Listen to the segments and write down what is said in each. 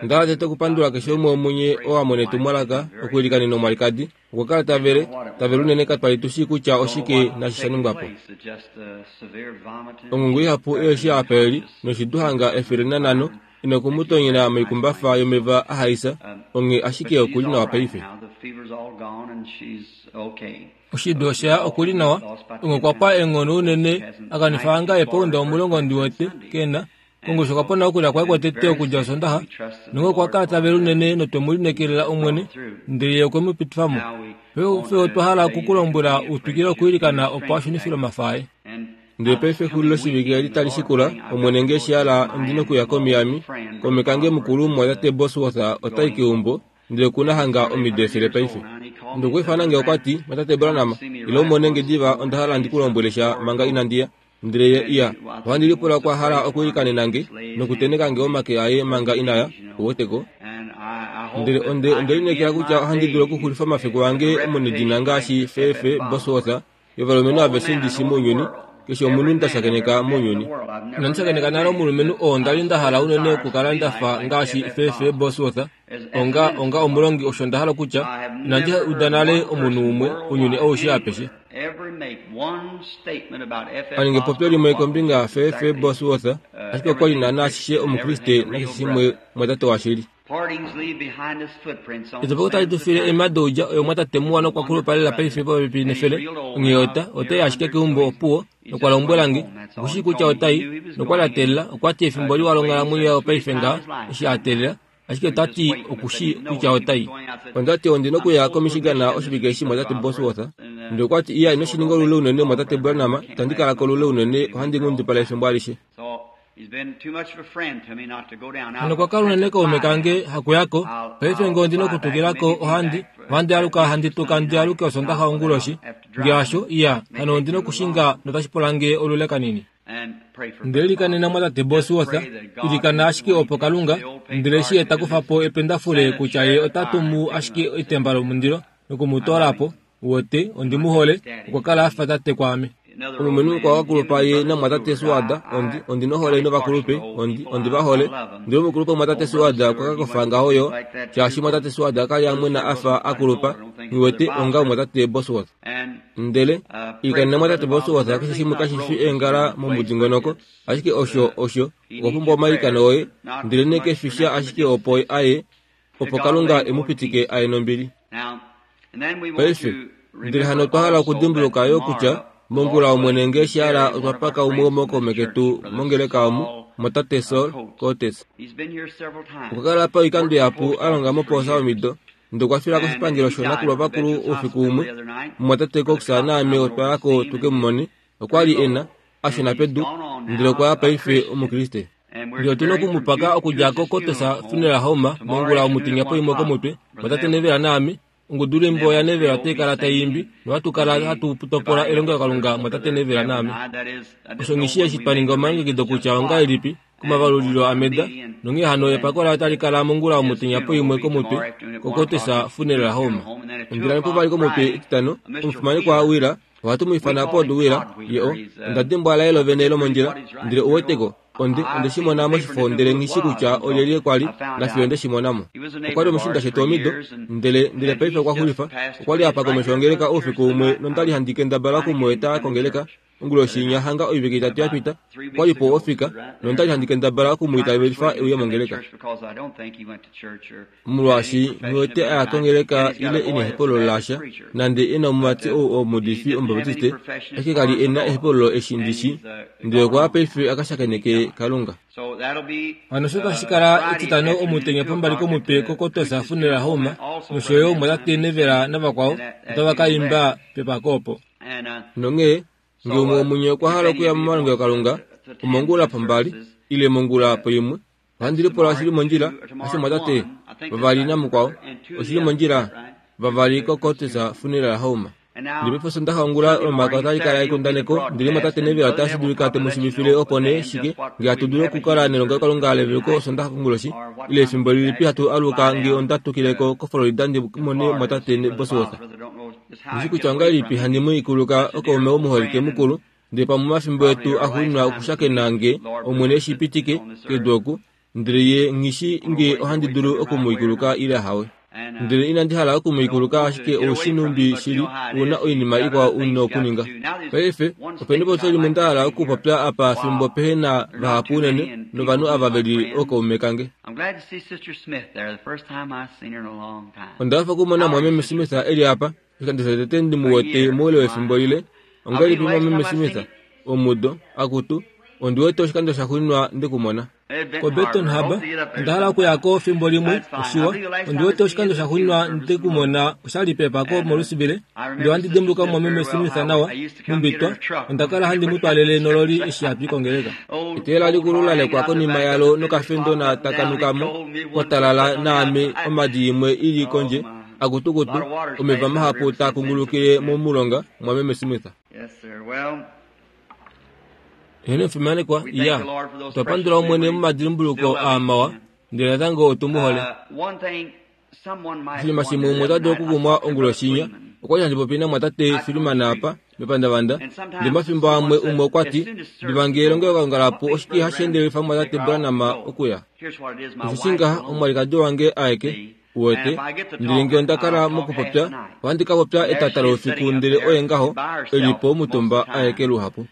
Onda hala tete okupandula keshe umwe womunye oo a mona etumwalaka okuilikanena omwalikadi. Okwa kala ta vele, ta vele unene katwa li tu shii kutya oshike naashi sha ningwa po. Ongungu ihapu eeshi apa e li, noshidu hanga 105, ina oku mu tonyena moikumbafa yomeva a haisa, onghee ashike oku li nawa paife. Oshidu osha ya oku li nawa, onghee okwa pwa eenghono unene a kanifa hanga eepounda 10 ndi wete, ke na. Kongushu okwa pona okulya kwaye kwotete okudja Osondaxa, nonghee okwa kala ta vele unene notwe mu lineekelela Omwene, ndele Ye okwe mu pitifa mo. Fye otwa hala oku ku lombwela u twikile okwiilikana opo a shunifilwe omafa aye. Ndele paife exuliloshivike eli tali shikula, Omwene nge eshi a hala, ondi nokuya koMiami. Kaume kange mukulu, Mumwatate Bosworth, ota i keumbo, ndele oku na hanga omido 100 paife. Ndele okwa ifana nge okwa ti, Mumwatate Branham, ila u mone nge diva, onda hala ndi ku lombwele sha manga inandi ya. Ndele ye iya, ohandi lipula okwa hala okwiilikanena nge nokuteneka nge omake aye manga ina ya, uweteko. Ndele onde, onde lineekela kutya ohandi dulu okuxulifa omafiku ange omunedina ngaashi Fefe Bosworth yovalumenhu aveshe ndi shi mounyuni, keshe omunhu nda shakeneka mounyuni. Inandi shakeneka nale omulumenhu oo nda li nda hala unene okukala nda fa ngaashi Fefe Bosworth, onga, onga omulongi osho nda hala okutya, inandi uda nale omunhu umwe ounyuni aushe apeshe. A ninga epopyo limwe kombinga yaFefe Bosworth, ashike okwa li naanaa ashishe Omukriste nakeshe shimwe mwatate washili. Etopoko tali tu file eema doudja oyo mwatate muwa nokwa kulupa lela paife popepi nefele, onghee ota, ota i ashike keumbo opuwo, nokwa lombwela nge, oku shii kutya ota i, nokwa li a teelela, okwa ti efimbo liwa longhalamwenyo yaye opaife ngaha, eshi a teelela, ashike ota ti oku shii kutya ota i. Onda ti ondi nokuya koMichigan oshivike eshi mwatate Bosworth. Ndele okwa ti, Iya, ino shi ninga olule unene, mwatate Branham, itandi kala ko olule unene, ohandi nghundipala efimbo alishe. Hano okwa kala unene kaume kange hakuya ko. Paife nge ondi nokutukila ko, ohandi, ohandi aluka handi tuka ndi aluke Osondaxa onguloshi. Nge hasho, iya, hano ondi nokushinga notashi pula nge olule kanini. Ndele ilikanena mwatate Bosworth, ilikana ashike opo Kalunga, ndele eshi ye ta kufa po ependafule kutya ye ota tumu ashike etemba lomundilo noku mu toola po, Uwete, ondi mu hole, okwa kala a fa tate kwaame. Omulumenhu mukwao a kulupa ye namwatate Suada, ondi, ondi nohole novakulupe, ondi, ondi va hole. Ndele omukulupe mwatate Suada okwa ka kofa ngaho yo, shaashi mwatate Suada ka li a mwena a fa a kulupa, uwete, onga mwatate Bosworth. Ndele, ilikanena mwatate Bosworth keshe shimwe kashi fi eengala momudingonoko, ashike osho, osho, okwa pumbwa omailikano oye, ndelenee ke fi sha ashike opo a ye, opo Kalunga e mu pitike a ye nombili. Paife, ndele hano otwa hala okudimbuluka yo kutya mongula Omwene nge eshi hala otwa paka umwe womookaume ketu mongeleka omu, motate Sol Cortes. Okwa kala apa oikando ihapu a longa mopoosa omido, ndele okwa fila koshipangelo shoonakulwa vakulu oufiku umwe. Mumwatate Cox naame otwa ya ko tu ke mu mone. Okwa li e na, a shuna pedu, ndele okwa ya paife Omukriste. Ndele otu na oku mu paka okudja koCotters Funeral Home mongula omutenya poimwe komutwe, mwatate Neville naame. Ongudulwiimbo yaNeville otai kala tai imbi, nohatu kala hatu topola elongelokalunga mwatate Neville naame. Osho nghi shii eshi twa ninga omalongekido kutya ongahelipi komavalulilo aMeda, nonghee hano epako laye otali kala mongula omutenya poimwe komutwe koCotters Funeral Home. Ondjila yopovali komutwe Etitano, omufimanekwa Wheeler Ohatu mu ifana Pod Wheeler, ye o. Onda dimbwa laye lovene lomondjila, ndele u weteko, onde, onde shi mona moshifo ndele nghi shi kutya olyelye kwa li, nafiyo nde shi mona mo. Okwa li omushiinda shetu omido, ndele, ndele paife okwa xulifa. Okwa li a pa komesho yongeleka oufiku umwe nonda li handi kendabala oku mu eta kongeleka. Onguloshi inya hanga oivike itatu ya pita, okwa li po ofika, nonda li handi kendabala oku mu itavelifa e uye mongeleka. Molwaashi nghi wete a ya kongeleka ile e nehepululo lasha, nande e na omumati ou omuudifi Omubaptiste, ashike ka li e na ehepululo eshi ndi shi, ndele okwa ya paife a ka shakeneke Kalunga. Hano osho tashi kala Etitano omutenya pombali komutwe koKotosa Funeral Home nosho yo Mwatate Nevela navakwao otava ka imba pepako opo. Nonghee, nge umwe womunye okwa hala okuya momalongelokalunga omongula pombali ile mongula poimwe, Ohandi lipula oshi li mondjila, hasho mwatate? Vavali namukwao, oshi li mondjila? Vavali koCurtis Funeral Home. Ndele paife Osondaxa ongula Olomakaya otali kala ekundaneko, ndele mwatate Neville otashi dulika te mu shivifile opo nee shike nge hatu dulu okukala nelongelokalunga leveluko Osondaxa konguloshi, ile efimbo lilipi hatu aluka nge onda tukile ko koFlorida ndi mone mwatate Bosworth. Nghi shi kutya ongahelipi handi mu ikuluka okaume omuholike mukulu, Ndele pamwe omafimbo etu axuuninwa okushakena nge, Omwene e shi pitike, kedu oku. Ndele ye nghi shi nge ohandi dulu oku mu ikuluka ile hawe. Ndele inandi hala oku mu ikuluka ashike oushi nhumbi shili u na oinima ikwao u nokuninga. Paife, ope nepopyo limwe nda hala okupopya apa fimbo pehe na vahapu unene novanhu ava ve li ookaume kange. Onda hafa okumona Mwameme Smith e li apa, oshikando shotete ndi mu wete moule wefimbo lile. Ongahelipi Mwameme Smith? Omudo, akutu, ondi wete oshikando shaxuuninwa nde ku mona. KoBeton Harbor, onda hala okuya ko fimbo limwe, oshiwa. Ondi wete oshikando shaxuuninwa nde ku mona osha li pepako moLouisville. Ndele ohandi dimbuluka Mumwameme Smith nawa, mumbitwa. Onda kala handi mu twaalele nololi eshi hatu i kongeleka. Eteela likulu la lekwa konima yalo nokafendona taka nuka mo, kwa talala naame omhadi imwe i li kondje, akutukutu, omeva mahapu taa kungulukile momulonga, Mumwameme Smith. Eheno fimanekwa, iya. Otwa pandula Omwene momadimbuluko aa mawa, ndele natango otu mu hole. Oshinima shimwe umwe ota dulu okukumwa onguloshi inya. Okwa li handi popi namwatate Freeman apa, mepandavanda. Ndele omafimbo amwe umwe okwa ti, Diva nge elongelokalunga lapu oshike hashi endelifa mumwatate Branham okuya? Osheshi ngaha omwalikadi wange aeke, Uwete, ndele nge onda kala mokupopya, ohandi ka popya etata loufiku ndele oye ngaho e li po omutumba aeke luhapu.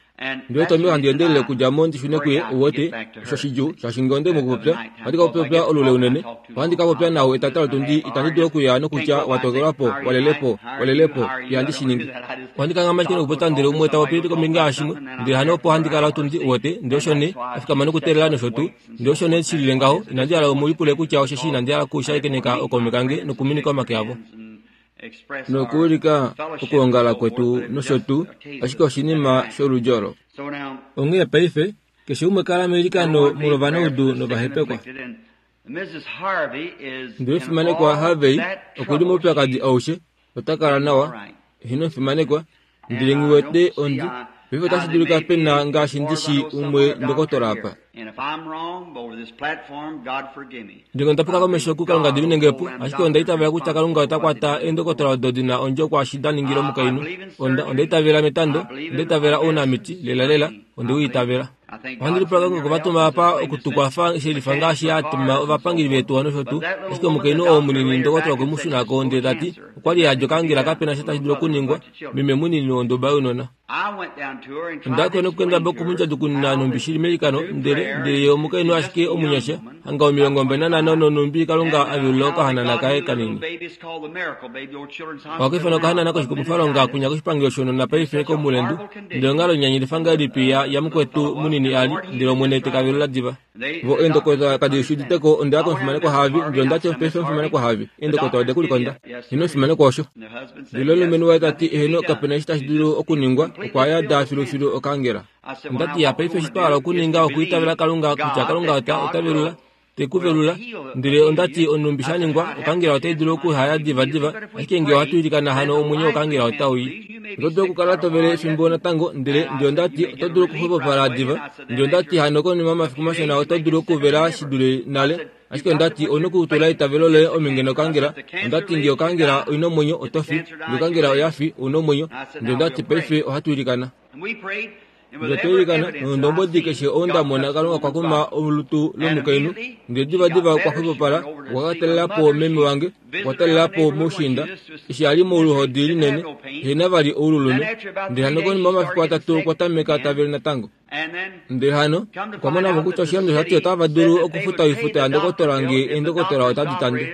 Ndele Tommy ohandi endelele okudja mo ndi shune kuye, uwete, osho shidjuu, shaashi nge onde mokupopya, ohandi ka popya olule unene. Ohandi ka popya nao etata lotundi, itandi dulu okuya nokutya wa tokelwa po, wa lele po, wa lele po, ihandi shi ningi. Ohandi kanghama ashike nokupopya ndele umwe ta popi kombinga yashimwe, ndele hano opo handi kala otundi, uwete, ndele osho nee, a fikama nokuteelela nosho tuu. Ndele osho nee shi lile ngaho, inandi hala mu lipule kutya osheshi inandi hala okushakeneka ookaume kange nokuminika omake avo. Nokuulika okwoongala kwetu nosho tuu, ashike oshinima sholudji olo. Onghee paife, keshe umwe kala meilikano molwovanaudu novahepekwa. Ndele omufimanekwa Harvey oku li moupyakadi aushe, ota kala nawa. Eheno omufimanekwa, ndele nghi wete ondi. Paife otashi dulika pe na ngaashi ndi shi umwe ndokotola apa. Ndele onda puka komesho kuKalunga di minenge po, ashike onda itavela kutya Kalunga ota kwata eendokotola odo di na ondjo kwaashi da ningila omukainhu. Onda, onda itavela metando, onda itavela ounamiti, lelalela, onde u itavela. Ohandi lipula Kalunga okwe va tuma apa oku tu kwafa shelifa ngaashi a tuma ovapangeli veetuwa nosho tuu. Ashike omukainhu oo munini ndokotola okwe mu shuna ko ndele ta ti okwa li a dja okangela kape na sha tashi dulu okuningwa, meme munini wonduba younona. Onda ya nokukendabala oku mu ndjadjukununa nhumbi shi li meilikano, ndele, ndele ye omukainhu ashike omunyasha, hanga 25 nonhumbi Kalunga a velula okahanana kaye kanini. Ohaka ifanwa okahanana koshikumwifalonga kwinya koshipangelo shounona paife komulendu. Ndele onghalo inyanyalifa ngahelipi ya, ya mukwetu munini a li, ndele Omwene te ka velula diva. Vo eendokotola kadi shi udite ko, onda ya komufimanekwa Harvey, ndele onda ti, Paife omufimanekwa Harvey, eendokotola ode ku likonda. Eheno omufimanekwa osho. Ndele omulumenhu waye ta ti, Eheno, kape na eshi tashi dulu okuningwa, okwa yada filufilu okaangela. Onda ti, Ya, paife eshi twa hala okuninga okwiitavela Kalunga kutya Kalunga ota, ota velula. Te ku velula. Ndele onda ti, Onhumbi sha ningwa, okangela otai dulu okuhaya divadiva, ashike nge ohatu ilikana hano omwenyo wokangela otau i. Oto dulu okukala to vele efimbo natango, ndele, ndele onda ti, oto dulu okuxwepopala diva. Ndele onda ti, hano konima yomafiku mashona oto dulu okuvela shi dule nale. Ashike onda ti, ou na okutula eitavelo loye omhinge nokangela. Onda ti, nge okangela oi na omwenyo, oto fi. Nge okangela oya fi, ou na omwenyo. Ndele onda ti, Paife ohatu ilikana. Ndele otwa ilikana, nondombwedi keshe ou nda mona Kalunga okwa kuma olutu lomukainhu, ndele divadiva okwa xwepopala, okwa ka talela po meme wange, okwa talela po moushiinda, eshi a li moluhodi linene, ehe na vali oululume. Ndele hano konima yomafiku atatu okwa tameka ta vele natango. Ndele hano okwa mona mo kutya oshilando osha ti otava dulu okufuta oifuta yandokotola nge eendokotola otadi tande.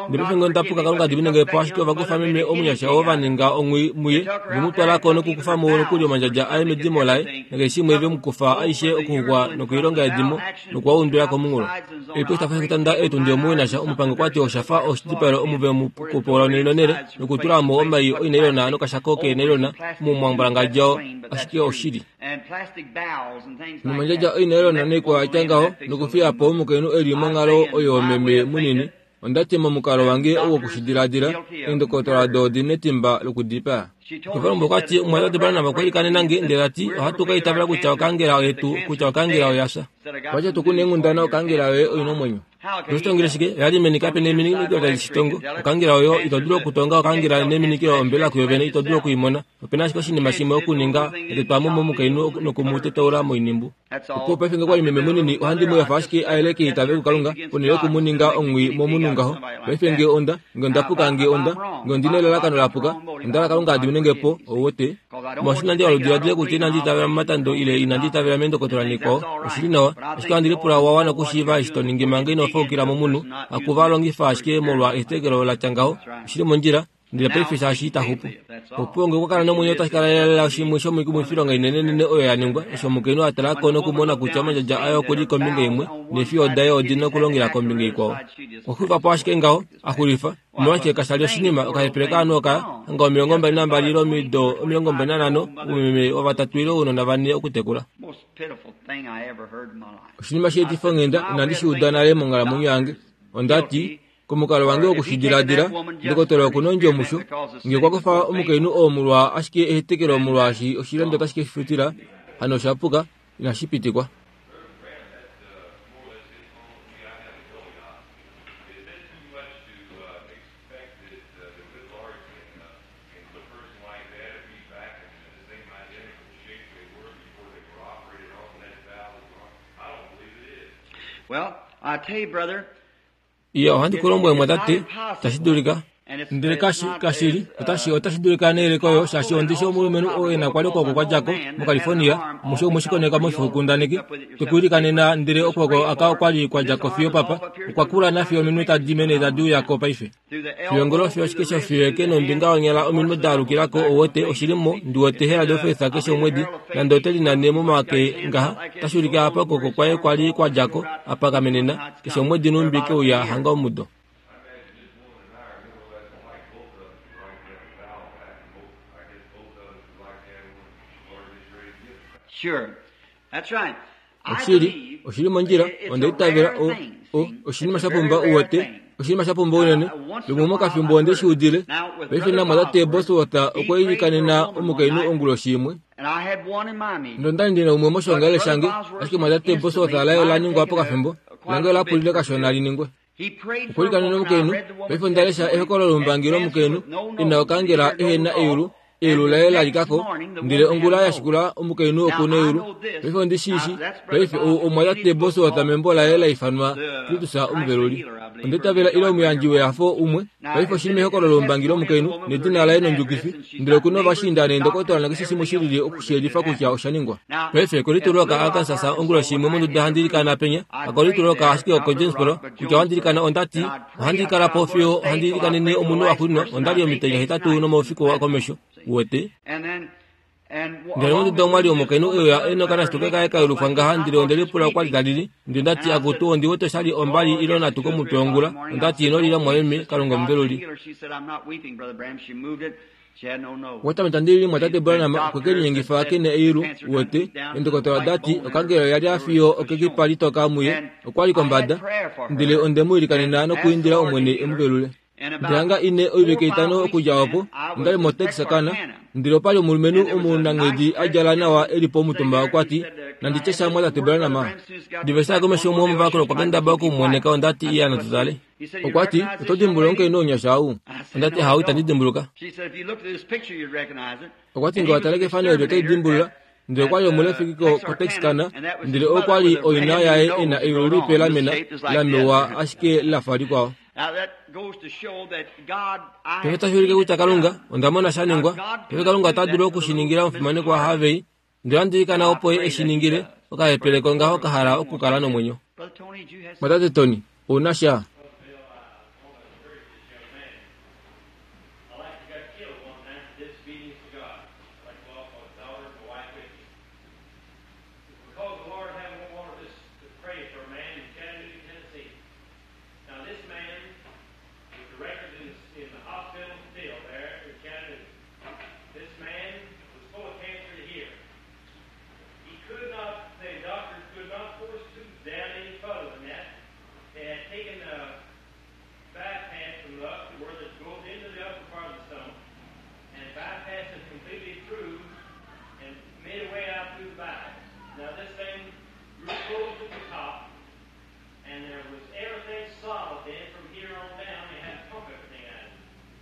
Ndele paife nge onda puka Kalunga dimine nge po ashike ova kufa meme omunyasha oo va ninga ongwi muye ve mu twala ko nokukufa mo nokuli omandjadja aye medimo laye nakeshe shimwe ve mu kufa aishe okuxukwa nokoilonga yedimo nokuwa undula komunghulo. Oipo itafa shokutanda eetundi omuwinasha omupangi okwa ti osha fa oshidipaelo omu ve mu kupola onhele nonhele nokutula mo omai oinailona nokashako keenailona momwambwalangadjao ashike oshili. Nomandjadja oinailona noikwao ya tya ngaho nokufiya po omukainhu e li monghalo oyo meme munini Onda ti momukalo wange wokushidiladila, eendokotola odo odi netimba lokudipaa. Okwa okwa ti, Omumwatate Branham okwa ilikanena nge, ndele ta ti, Ohatu ka itavela kutya okaangela oyetu, kutya okaangela oya fya. Okwa ti, Otu ku na eenghundana, okaangela yoye oi na omwenyo. Oto tongele shike? Oya li meni kape neminikilo tali shi tongo. Okangela oyo ito dulu okutonga okangela neminikilo ombela kuyo vene ito dulu oku i mona. Ope na ashike oshinima shimwe okuninga, etetwa mo momukainhu noku mu tetaula moinhimbu. Opo paife nge kwa li meme munini ohandi mu efa ashike a yeleke eitavelo kuKalunga ponhele yoku mu ninga omwii momunhu ngaho. Paife nge onda, nge onda puka nge onda, nge ondi na elalakano la puka, onda hala Kalunga a dimine nge po, ou wete. Molwaashi inandi hala udiladile kutya inandi itavela momatando ile inandi itavela meendokotola nikwao, oshi li nawa, ashike ohandi lipula owa wana okushiiva eshi to ningi manga ino faukila momunhu, haku va longifa ashike molwa ehetekelo la tya ngaho. Oshi li mondjila. Ndele paife shaashi ita xupu. Opuwo nge okwa kala nomwenyo otashi kala lela shimwe shomoikumwifilonga inenenene oyo ya ningwa eshi omukainhu a tala ko nokumona kutya omandjadja aye oku li kombinga imwe neefiyo daye odi na okulongela kombinga ikwao. Okwa xulifa po ashike ngaho, a xulifa. Omolwashike kasha li oshinima okahepele kaanhu oka hanga 22 ile omido 25, oumeme wavatatu ile ounona vane okutekula. Oshinima sheetifa onghenda inandi shi uda nale monghalamwenyo yange. Onda ti, Komukalo wange wokushidiladila, ndokotola oku na ondjo musho. Nge okwa kufa omukainhu oo molwa ashike ehetekelo molwaashi oshilando otashi ke shi futila, hano osha puka, inashi pitikwa. Well, I tell you, brother, Iya, ohandi ku lombwele mwatate, tashi dulika. Ndele kashi, kashi li, otashi, otashi dulika neyeleko oyo, shaashi ondi shi omulumenhu oo e na kwali okwooko kwa dja ko, moCalifornia, omusho umwe shikoneka moifokundaneki, twekuilikanena, ndele okwooko aka okwali kwa dja ko fiyo papa, okwa kula nafiyo ominwe tadi mene tadi uya ko paife. Fiyo ngolo fiyo ashike shofiyo eke nombinga yonyala ominwe da alukila ko ouwete oshi li mo ndi wete hela dofefa keshe omwedi nande ote linane momake ngaha otashi ulike apa okwooko kwaye kwa li kwa dja ko apa kamenena keshe omwedi nhumbi ke uya hanga omudo. Sure. That's right. Oshili, oshi li mondjila, onda itavela o, o, oshinima sha pumba u wete, oshinima sha pumba unene. Lumwe mokafimbo onde shi udile. Paife namwatate Bosworth okwa ilikanena omukainhu onguloshi imwe. Nonda li ndi na umwe moshiongalele shange, ashike mwatate Bosworth laye ola ningwa pokafimbo, lange ola pulile kashona li ningwe. Okwa ilikanena omukainhu. Paife onda lesha ehokololo lomupangi lomukainhu e na okaangela ehe na eyulu, eyulu laye la lika ko, ndele ongula ya shikula omukainhu oku na eyulu. Paife ondi shi shi, paife ou omwatate Bosworth membo laye la ifanwa Kristus Omuveluli. Onda itavela ile omuyandji wehafo umwe. Paife oshi li mehokololo lomupangi lomukainhu, nedina laye nondjukifi, ndele oku na ovashiinda neendokotola nakeshe shimwe shi lili oku shi yelifa kutya osha ningwa. Paife, kolitulwa kaArkansas onguloshi imwe monduda handi ilikana penya, hakolitulwa ashike okoJonesboro, kutya ohandi ilikana onda ti, ohandi kala po fiyo ohandi ilikanene omunhu a xulinwa, onda li omitenya hetatu nomaufiku akomesho. Uwete? Ndele monduda omwa li omukainhu e uya e nokanashituke kaye ka yelufwa ngaha, ndele onde lipula okwa li ta lili. Ndele onda ti, Akutu, ondi wete osha li ombali ile onhatu komutwe wongula. Onda ti, Ino lila, mumwameme, Kalunga omuveluli. Okwa tameka tandi lili mwatate Branham okwe ke linyengifa ke na eyulu, uwete. Eendokotola oda ti okankela oya lya fiyo okekipa litoka muye. Okwa li kombada. Ndele onde mu ilikanena nokuindila Omwene e mu velule. Ndele hanga ine oivike itano okudja opo, onda li moTexarkana, ndele opa li omulumenhu omunanghedi a djala nawa e li pomutumba okwa ti, Nandi tye sha mwatate Branham? Diva eshi a komesho umwe womovakulu okwa kendabala oku mu mweneka, onda ti, Iya, natu tale. Okwa ti, Oto dimbuluka omukainhu omunyasha ou? Onda ti, Ahowe, itandi dimbuluka. Okwa ti, Nge wa tale kefano eli oto li dimbulula. Ndele okwa li omulefiki ko, koTexarkana, ndele okwa li oina yaye e na eyulu lipe la mena, la mewa ashike la fa likwao. Paife otashi ulike kutya Kalunga, onda mona sha ningwa. Paife Kalunga ota dulu oku shi ningila omufimanekwa Harvey, Ndele ohandi ilikana opo ye e shi ningile, okahepele kongaho ka hala okukala nomwenyo. Mwatate Tony, ou na sha? Could not, the doctors could not force tubes down any further than that. They had taken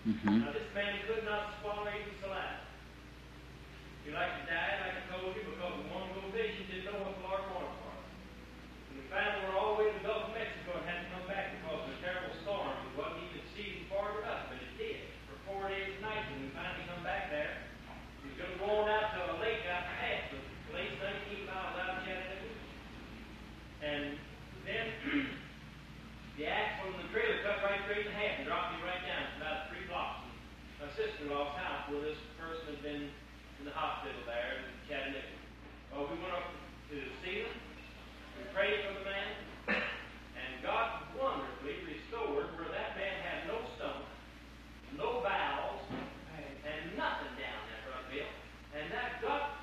Now, this man could not swallow even saliva. He like to die, like I told you, because the one go fishing didn't know what the Lord wanted for him. And we finally were all the way to the Gulf of Mexico and had to come back because of a terrible storm. It wasn't even season for it or nothing, but it did for 4 days and nights. And we finally come back there. We was going to go on out to a lake out past the place 19 miles out of Chattanooga. And then the axle in the trailer cut right straight in half and dropped me right down. It's about 3 blocks. And my sister-in-law's house where this person had been in the hospital there in Chattanooga. Well, we went up to see them. We prayed for the man. And God wonderfully restored where that man had no stomach, no bowels, and nothing down there, Brother Bill. And that God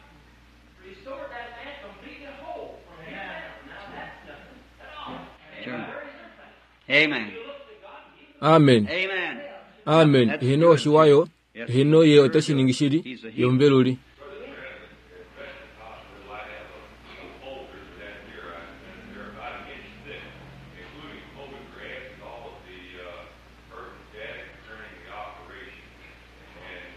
restored that man completely whole from here down. Now that's nothing at all. Sure. Where is your faith? Amen. You look to God and He Amen. Amen. Amen. Hino oshiwayo, hino ye otashi shili, yombeluli. Hospital, I have a folder down here, and they're about an inch thick, including photographs and all of the pertinent data concerning the operation. And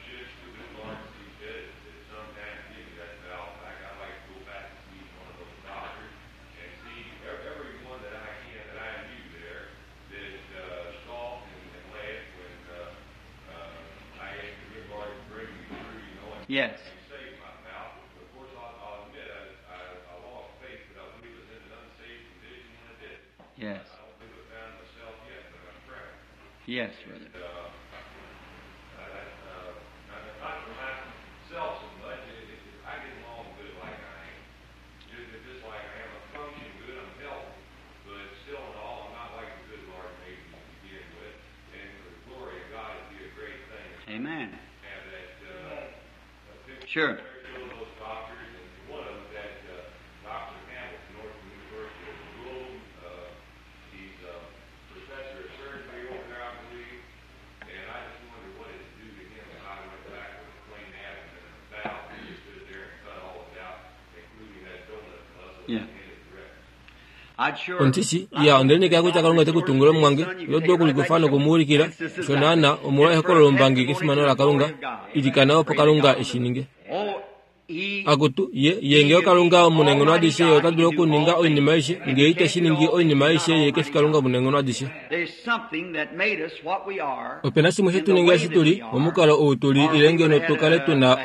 should the good Lord see fit at some time to give me that valve back, I'd like to go back and see one of those doctors and see every one that I can that I knew there that scoffed and laughed when I asked the good Lord to bring me through, you know, and Yes. and saved my mouth. Of course, I'll admit I lost faith, but I believe it was in an unsafe condition when I did it. Yes. I don't think I found myself yet, but I'm trying. Yes, brother. Not for myself so much. I get along good like I am. Just like I am. I function good. I'm healthy. But still in all, I'm not like the good Lord made me to begin with. And for the glory of God, it'd be a great thing to Amen. have that picture. Sure. There are those doctors, and one of them, that Dr. Hamilton, Northern University of Rome, he's a professor of surgery over there, I believe. And I just wonder what it'd do to him if I went back with a clean abdomen and a valve and just stood there and cut all of it out, including that donut muscle Yeah. and hit it direct. I'd sure. Ontisi ya ondelenekela kutya Kalunga te kutungula omwange lodwa kuli kufana okumuulikila shonana omolwa ehokololo mbangi kefimano la Kalunga ilikana opo Kalunga eshininge. Oh, he. Akutu ye ye ngee Kalunga omunenghono adishe ye ota dulu okuninga oinima aishe ngee ite shiningi oinima aishe ye kefi Kalunga omunenghono adishe. There's something that made us what we are. Opena shimwe shetuninga eshi tuli momukalo ou tuli ile ngeno tukale tuna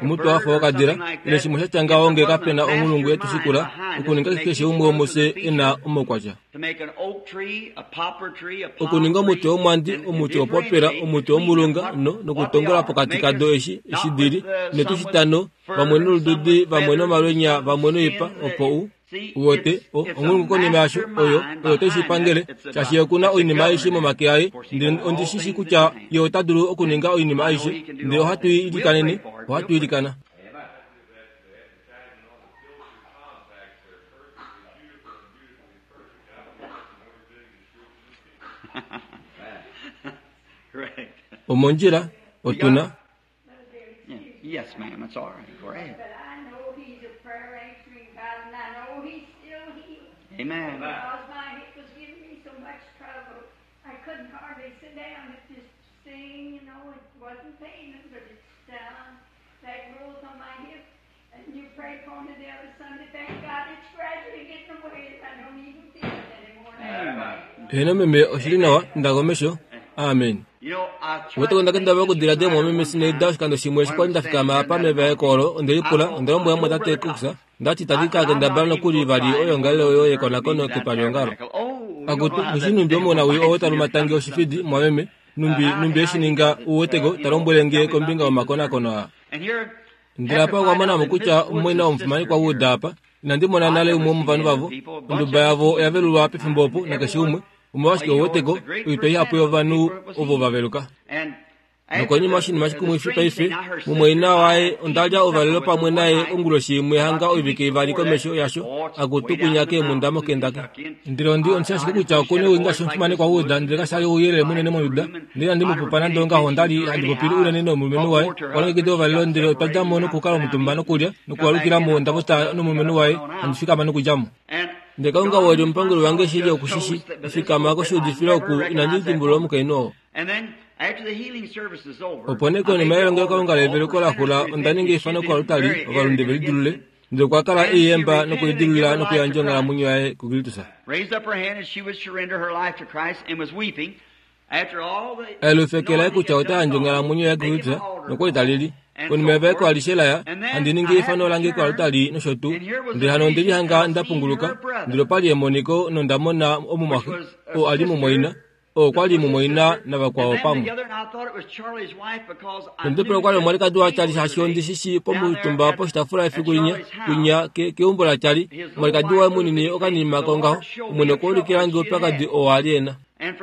omutwe wafa wokadila ile shimwe shatya ngaho ngee kapena onghulungu yetushikula okuninga keshe umwe womufye ena omaukwatya. To make an oak tree, a poplar tree, a palm Okuninga omuti tree, womwandi, and to omuti wopopela, differentiate omuti between womulunga what- no what nokutongola they are. pokati Make kado us eshi not eshi dili with, some netushitano with fur, vamwe nolududi some with vamwe feathers, nomalwenya some vamwe noipa skin. opo u See, uwote it's a onghulungu konima yasho oyo mastermind oyo teshi behind pangele that. It's a- shaashi okuna it's a oinima aishe governor. momake aye Of course, he ndele got all ondishishi things in kutya his hand. ye ota dulu okuninga oinima I know aishe he can do ndele all ohatu things. We'll ilikaneni pray for it. ohatu We'll pray. ilikana. Correct. Omondjila otuna Yeah. Yes, ma'am. That's all right. Go ahead. But I know he's a prayer answering God, and I know he's still healing. Amen. Because my hip was giving me so much trouble, I couldn't hardly sit down. It just sing, you know, it wasn't paining, but it's down. That growth on my hip. And you prayed for me the other Sunday. Thank God it's gradually getting away, and I don't even feel it anymore now. Heno meme oshili nawa ndakomesho. Amen. You know, I tried Wete to onda think kendaba this okudiladila time mwameme one sineida time oshikando shimwe eshi when kwali I nda was fikama standing apa in that meva ekoolo ondelipula I thought, ondalombwela I mwe told tate Brother Cox Cox, ndati I tandi said, ka I'm not kendabala even nokuli going to vali try oyo anymore ngalelo to oyo learn to yekonakono be that kepaliongalo. tabernacle. Oh, you don't Akutu know how that mushi numbi devil omona wi bites oo when you're talumatangi trying to oshifidi something. mwameme numbi numbi eshininga uweteko talombwele nge kombinga yomakonakono aa. And here, Ndele apa had to okwa find mona out mo that kutya Miss Woods' omumwaina womufumani sister kwa here, wuuda apa inandi mona I nale never umwe seen womovanhu the vavo people, a bunch onduba of yavo oya velulwa pefimbo opo and nakeshe everyone, umwe omolwashike well, you know, uweteko it's a great oitwa ihapu percentage of yovanhu people that was ovo healed. vaveluka. And after Nokonima the, oshinima the shikumwifi strange paife thing, now her sister, mumwaina I waye had ondalya eaten ovalelo supper with her pamwe one naye night onguloshi imwe hanga about 2 oivike weeks ivali before that. komesho yasho Oh, it's akutu way down kunya in the keemunda mountains in moKentucky. Kentucky. And Ndele ondi I, ondi ashike I just kutya wish okuna had a owinga voice like shomufumane Miss kwa Woods wuuda and ndele just kashali ouyelele munene quiet in the monduda room. And ndele andi I'd have mupupa repeated nande ongaho attention ondali to her handi popili anyhow. unene I nomulumenhu talked waye more to her walongekida husband. She ovalelo got ndele otwa separated dja mo and I nokukala sat down omutumba and nokulya come back nokuwalukila in. mo I onda thought, pota well, we got nomulumenhu it waye on handi out. fikama nokudja mo. And Ndele Kalunga God weli was omupanguli my wange shili just okushishi chose that, but this fikama pulpit, I koshuudifila never oku inandi recognized that dimbulula woman. omukainhu oo. And then Opo nee konima yelongelokalunga leveluko laxula onda ninga eifano koaltari ovalunde ve lidilulule, ndele okwa kala e i yemba nokulidilulula nokuyandja onghalamwenyo yaye kuKristus. A eke laye kutya ota yandje onghalamwenyo yaye kuKristus nokwa li ta lili. Konima yevaeko alishe laya, handi ningi eifano lange koaltari nosho tuu. Ndele hano onde lihanga nda punguluka, ndele opa li emoniko nonda mona omumwaxe, oo a li mumwaina, oo kwa li mumwaina navakwao pamwe. Nondepele okwa li omwalikadi waCharlie shaashi ondi shi shii pomutumba poshitaafula efiku linya, kwinya ke, keumbo laCharlie, omwalikadi waye munini okanima kongaho, Omwene okwa ulikila nge oupyakadi oo a li e na.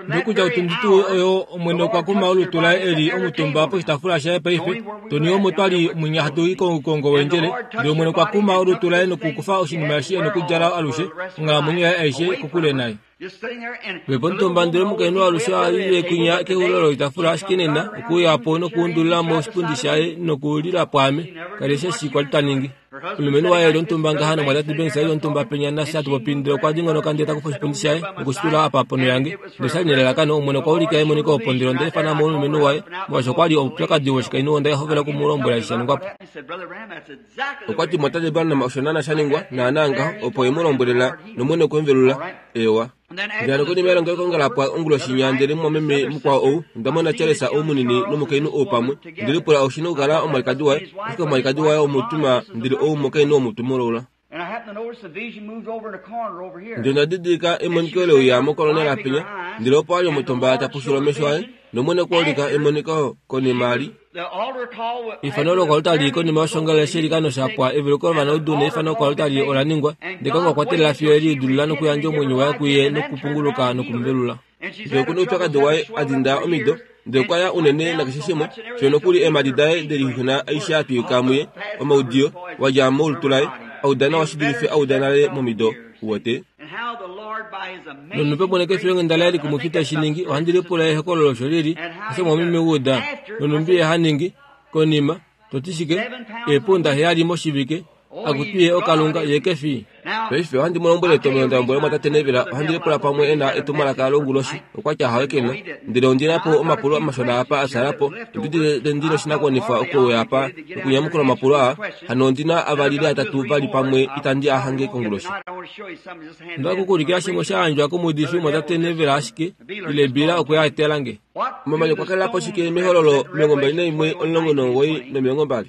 Ndele otundi tuu oyo Omwene okwa kuma olutu laye e li omutumba poshitaafula shaye paife, Tony omo twa li mwinya hatu i koukongo weendjele, ndele Omwene okwa kuma olutu laye nokukufa oshinima eshi e nokudjala alushe, onghalamwenyo yaye aishe kokule naye. Vepomutumba ndele omukainhu alushe a lile kwinya kexulilo loitafula ashike nena okuuya po nokuundulila mo oshipundi shaye nokulila pwaame kali eshi kwa li ta ningi. Omulumenhu waye e li omutumba ngaha nomwatate Banks e li omutumba penya nafye hatu popi ndele okwa dingonoka ndele ta kufa oshipundi shaye noku shi tula apa ponho yange. Ndele osha li nelalakano Omwene okwa ulika emoniko opo ndele onda ifana mo omulumenhu waye molwaashi okwa li oupyakadi woshikainhu onda hovela oku mu lombwela eshi sha ningwa po. Okwa ti, Mwatate Branham, osho naana sha ningwa, naana ngaho, opo e mu lombwelela, nOmwene okwe mu velula. Eewa. Ndele hano konima yelongelokalunga la pwa onguloshi inya, ndele mumwameme mukwao ou, onda mona Charles ou munini nomukainhu ou pamwe. Nde lipula oshi nokukala omwalikadi waye, ashike omwalikadi waye omutuma, ndele ou omukainhu womutumoloula. Ndele onda didilika emoniko leuya mokolonela penya, ndele opo a li omutumba ta pushula omesho aye, nOmwene okwa ulika emoniko konima li. Eifano lokoaltari konima yoshongalele sheilikano sha pwa, eveluko lovanaudu neifano koaltari ola ningwa, ndele Kalunga okwa teelela fiyo e lidilulula nokuyandja omwenyo waye kuye nokupunguluka noku mu velula. Ndele oku na oupyakadi waye a dinda omido, ndele okwa ya unene nakeshe shimwe, fiyo nokuli eemhadi daye de lixuxuna aishe ya twiyuka muye, omaudiyo, wa dja molutu laye, a uda nawa shi dulife a uda nale momido. Uwete? Nonupe moneke efilonghenda laye likumwifi te shi ningi, ohandi lipula ehokololo osho li li, osho mwameme wa uda, nonhumbi ye ha ningi, konima, to ti shike, eepunda heyali moshivike, Akutu ye oKalunga, ye ke fi. Paife ohandi mu lombwele etomheno nda lombwela omwatate Neville, ohandi lipula pamwe e na etumwalaka longuloshi. Okwa tya hawe ke na. Ndele ondi na po omapulo amashona apa a fyaala po. Ondi udite ndi noshinakuwanifwa okuuya apa nokunyamukula omapulo aa. Hano ondi na avali ile atatu vali pamwe itandi a hange konguloshi. Onda ku kuulikila shimwe sha yandjwa komuudifi omwatate Neville ashike, ile Bill okwe a etela nge. Omamanya okwa kalela po shike mEhololo 21, 19 no20?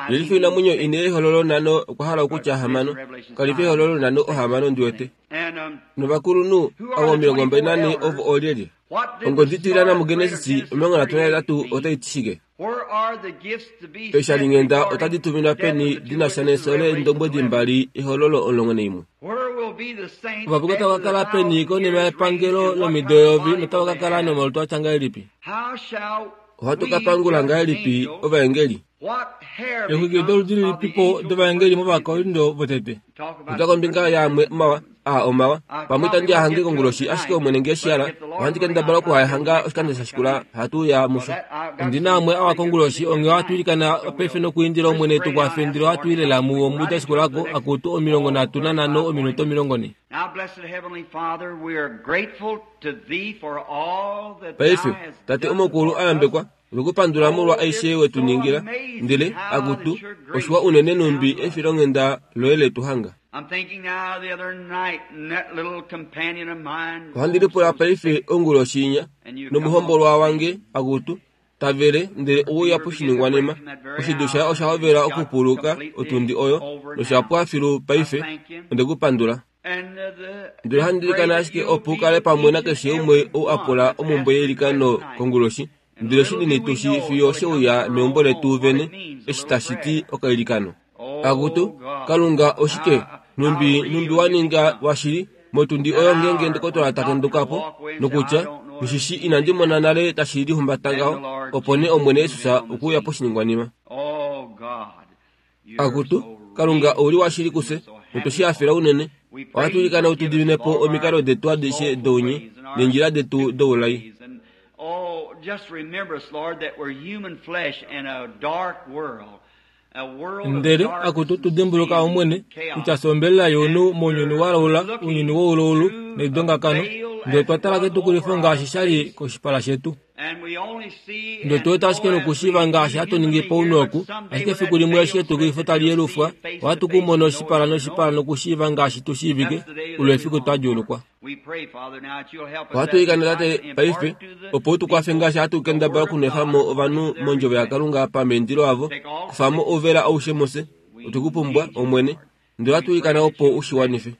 Yelifa oinamwenyo ine yEhololo nhano okwa hala okutya hamano. Kalifa Ehololo nhano ohamano ndi wete. Novakulunhu avo 24 ovo oolyelye? Ongodi itiliyana muGenesis 38 otai ti shike? Eeshalinghenda otadi tuminwa peni di na sha nefyo leendombwedi mbali Ehololo 11? Ovapuka otava ka kala peni konima yepangelo lomido eyovi notava ka kala nomalutu a tya ngahelipi? Ohatu ka pangula ngahelipi ovaengeli? Eexwiki doludi lilipipo dovaengeli mOvakorinto votete? Popya kombinga yaamwe omawa aa omawa. Pamwe itandi a hange konguloshi, ashike Omwene nge shi hala, ohandi kendabala oku a hanga oshikando sha shikula hatu uya musho. Ondi na amwe awa konguloshi, onghee ohatu ilikana paife nokuindila Omwene e tu kwafe, ndele ohatu i lela muwo muda shikula ko, akutu, 35:40. Paife, Tate Omukulu a yambekwa, Otwe ku pandula molwa aishe we tu ningila, ndele, akutu, oshiwa unene nhumbi efilonghenda loye le tu hanga. Ohandi lipula paife onguloshi inya, nomuhombolwa wange, akutu, ta vele, ndele ouya poshiningwanima. Oshidu shaye osha hovela okupuluka otundi oyo, nosha pwa filu paife. Onde ku pandula. Ndele ohandi ilikana ashike opo u kale pamwe nakeshe umwe ou a pula omhumbwe yeilikano konguloshi, ndele shinini tu shi fiyo she uya meumbo letu vene, eshi tashi ti okailikano. Akutu, Kalunga, oshike, nhumbi, nhumbi wa ninga washili, motundi oyo ngeenge ndokotola ta kenduka po, nokutya, Nghi shi inandi mona nale tashi lihumbata ngaho, opo nee Omwene Jesus okwe uya poshiningwanima. Akutu, Kalunga ou li washili kufye, notwe shi hafela unene. Ohatu ilikana u tu dimine po omikalo detu adishe dounye neendjila detu doulai. Ndele, akutu, tu dimbuluka, Omwene, kutya fye ombelela younhu mounyuni wa laula, ounyuni wouloulu neidongakano. Ndele otwa tala ketukulifo ngaashi sha li koshipala shetu. Ndele otu wete ashike nokushiiva ngaashi hatu ningi pounhu oku, ashike efiku limwe eshi etukulifo tali yelufwa, ohatu ku mona oshipala noshipala nokushiiva ngaashi tu shiivike, olo efiku twa djuulukwa. Ohatu ilikana Tate paife opo u tu kwafe ngaashi hatu kendabala okunwefa mo ovanhu mondjovo yaKalunga pameendilo avo, kufa mo ouvela aushe mufye. Otwe ku pumbwa, Omwene, ndele ohatu ilikana opo u shi wanife.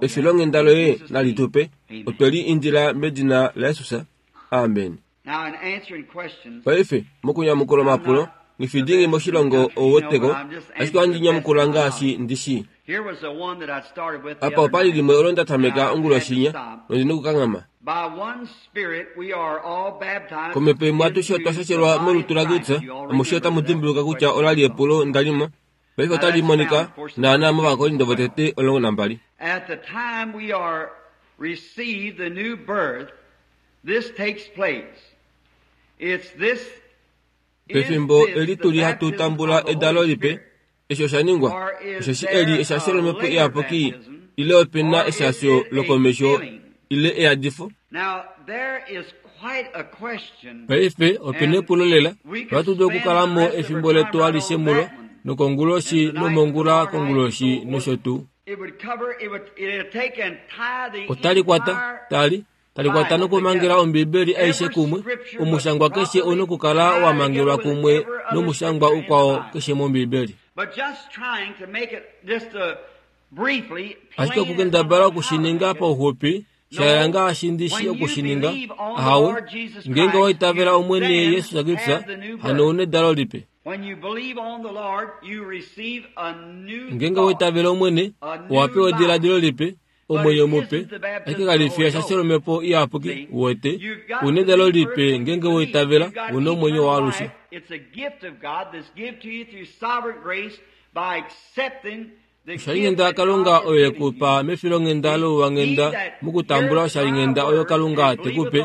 Efilonghenda loye nali tu pe, otwe li indila medina laJesus. Amen. Paife, mokunyamukula omapulo, nghifidingi moshilongo ou weteko, ashike ohandi nyamukula ngaashi ndi shii. Apa opa li limwe olo nda tameka onguloshinya, nondi nokukanghama. Komhepo imwe atushe otwa shashelwa molutu laKristus, amushe otamu dimbuluka kutya ola li epulo nda li mo. Paife otali monika naanaa mOvakorinto votete 12. At the time we are received the new birth, this takes place. It's this Pefimbo eli tu li hatu tambula edalo lipe, eshi osha ningwa, osheshi eli eshasho lOmhepo Iyapuki, ile ope na eshasho lokomesho ile eyadifo. Now there is quite a question. Paife ope na epulo lela, nohatu dulu okukala mo efimbo letu alishe mulo, nokonguloshi nomongula konguloshi nosho tuu. It would cover, it would, it'll take and tie the Otali kwata, entire tali, tali kwata nokumangela Ombibeli aishe kumwe. Omushangwa keshe ou na okukala wa mangelwa kumwe nomushangwa ukwao keshe mOmbibeli. But just trying to make it just briefly Ashike plain okukendabala oku shi ninga pauxupi, sha yela ngaashi ndi shii oku shi ninga, ahawe, ngeenge wa itavela Omwene Jesus Kristus, hano ou na edalo lipe. When you believe on the Lord, you receive a new Ngeenge wa thought. itavela Omwene, owa pewa ediladilo lipe, omwenyo mupe, ashike kali fi eshasho lOmhepo Iyapuki, uwete, u na edalo lipe ngeenge wa itavela, u na omwenyo waalushe. It's a gift of God that's given to you through sovereign grace by accepting the gift Oshalinghenda that yaKalunga God has oyo ye given ku you. pa mefilonghenda louwanghenda mokutambula oshalinghenda oyo Kalunga te ku pe,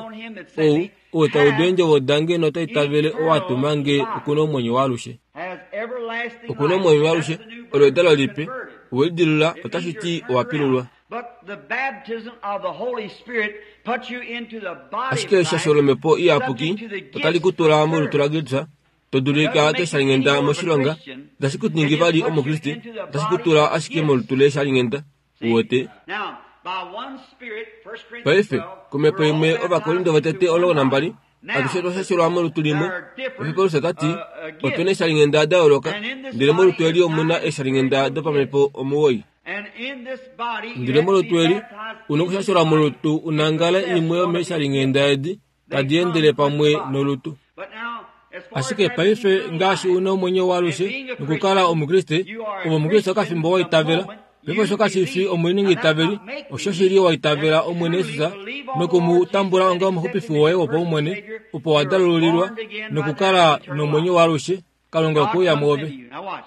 ou, ou ta udu eendjovo dange nota itavele ou a tuma nge oku na omwenyo waalushe. Has everlasting Oku na life. omwenyo That's waalushe, the new olo birth. edalo lipe, Converted. owe lidilula It means otashi you're ti turned owa pilulwa. around. But the baptism of the Holy Spirit puts you into the body Ashike of eshasho Christ, lOmhepo Iyapuki subject to the otali gifts ku tula of molutu the laKristus, to dulika keshalinghenda moshilonga, itashi ku ningi vali Omukriste, otashi ku tula ashike molutu leshalinghenda. Uwete? Now, by one Spirit, 1 Corinthians Paife, 12, komhepo we're all imwe baptized Ovakorinto votete into one 12, body. Now, atushe otwa shashelwa molutu limwe. there are different, Eshi Paulus ota ti, gifts. ope na eeshalinghenda da yooloka, And in this ndele molutu body eli is omu na nine eeshalinghenda spiritual dopamhepo 9. And in this body, you Ndele have to be molutu eli, baptized u na into okushashelwa the body molutu to unangale possess imwe one of these yomeeshalinghenda edi, They tadi come endele with the pamwe body. nolutu. But now, as far as Ashike having paife eternal ngaashi life u na omwenyo and waalushe being a nokukala Christian, Omukriste, you are ove a Omukriste Christian okafimbo wa the itavela. moment Paife you osho kashi fi believe. Now omuningi that's itaveli, not make osho me. shili wa itavela That's Omwene truly Jesus believe on the noku mu Lord Jesus tambula and onga accept omuxupifi him as woye your personal wopaumwene, Savior. opo wa You're dalululilwa born again right there nokukala to eternal nomwenyo life. waalushe, Kalunga God okwe uya comes mwoove. into you. Now watch.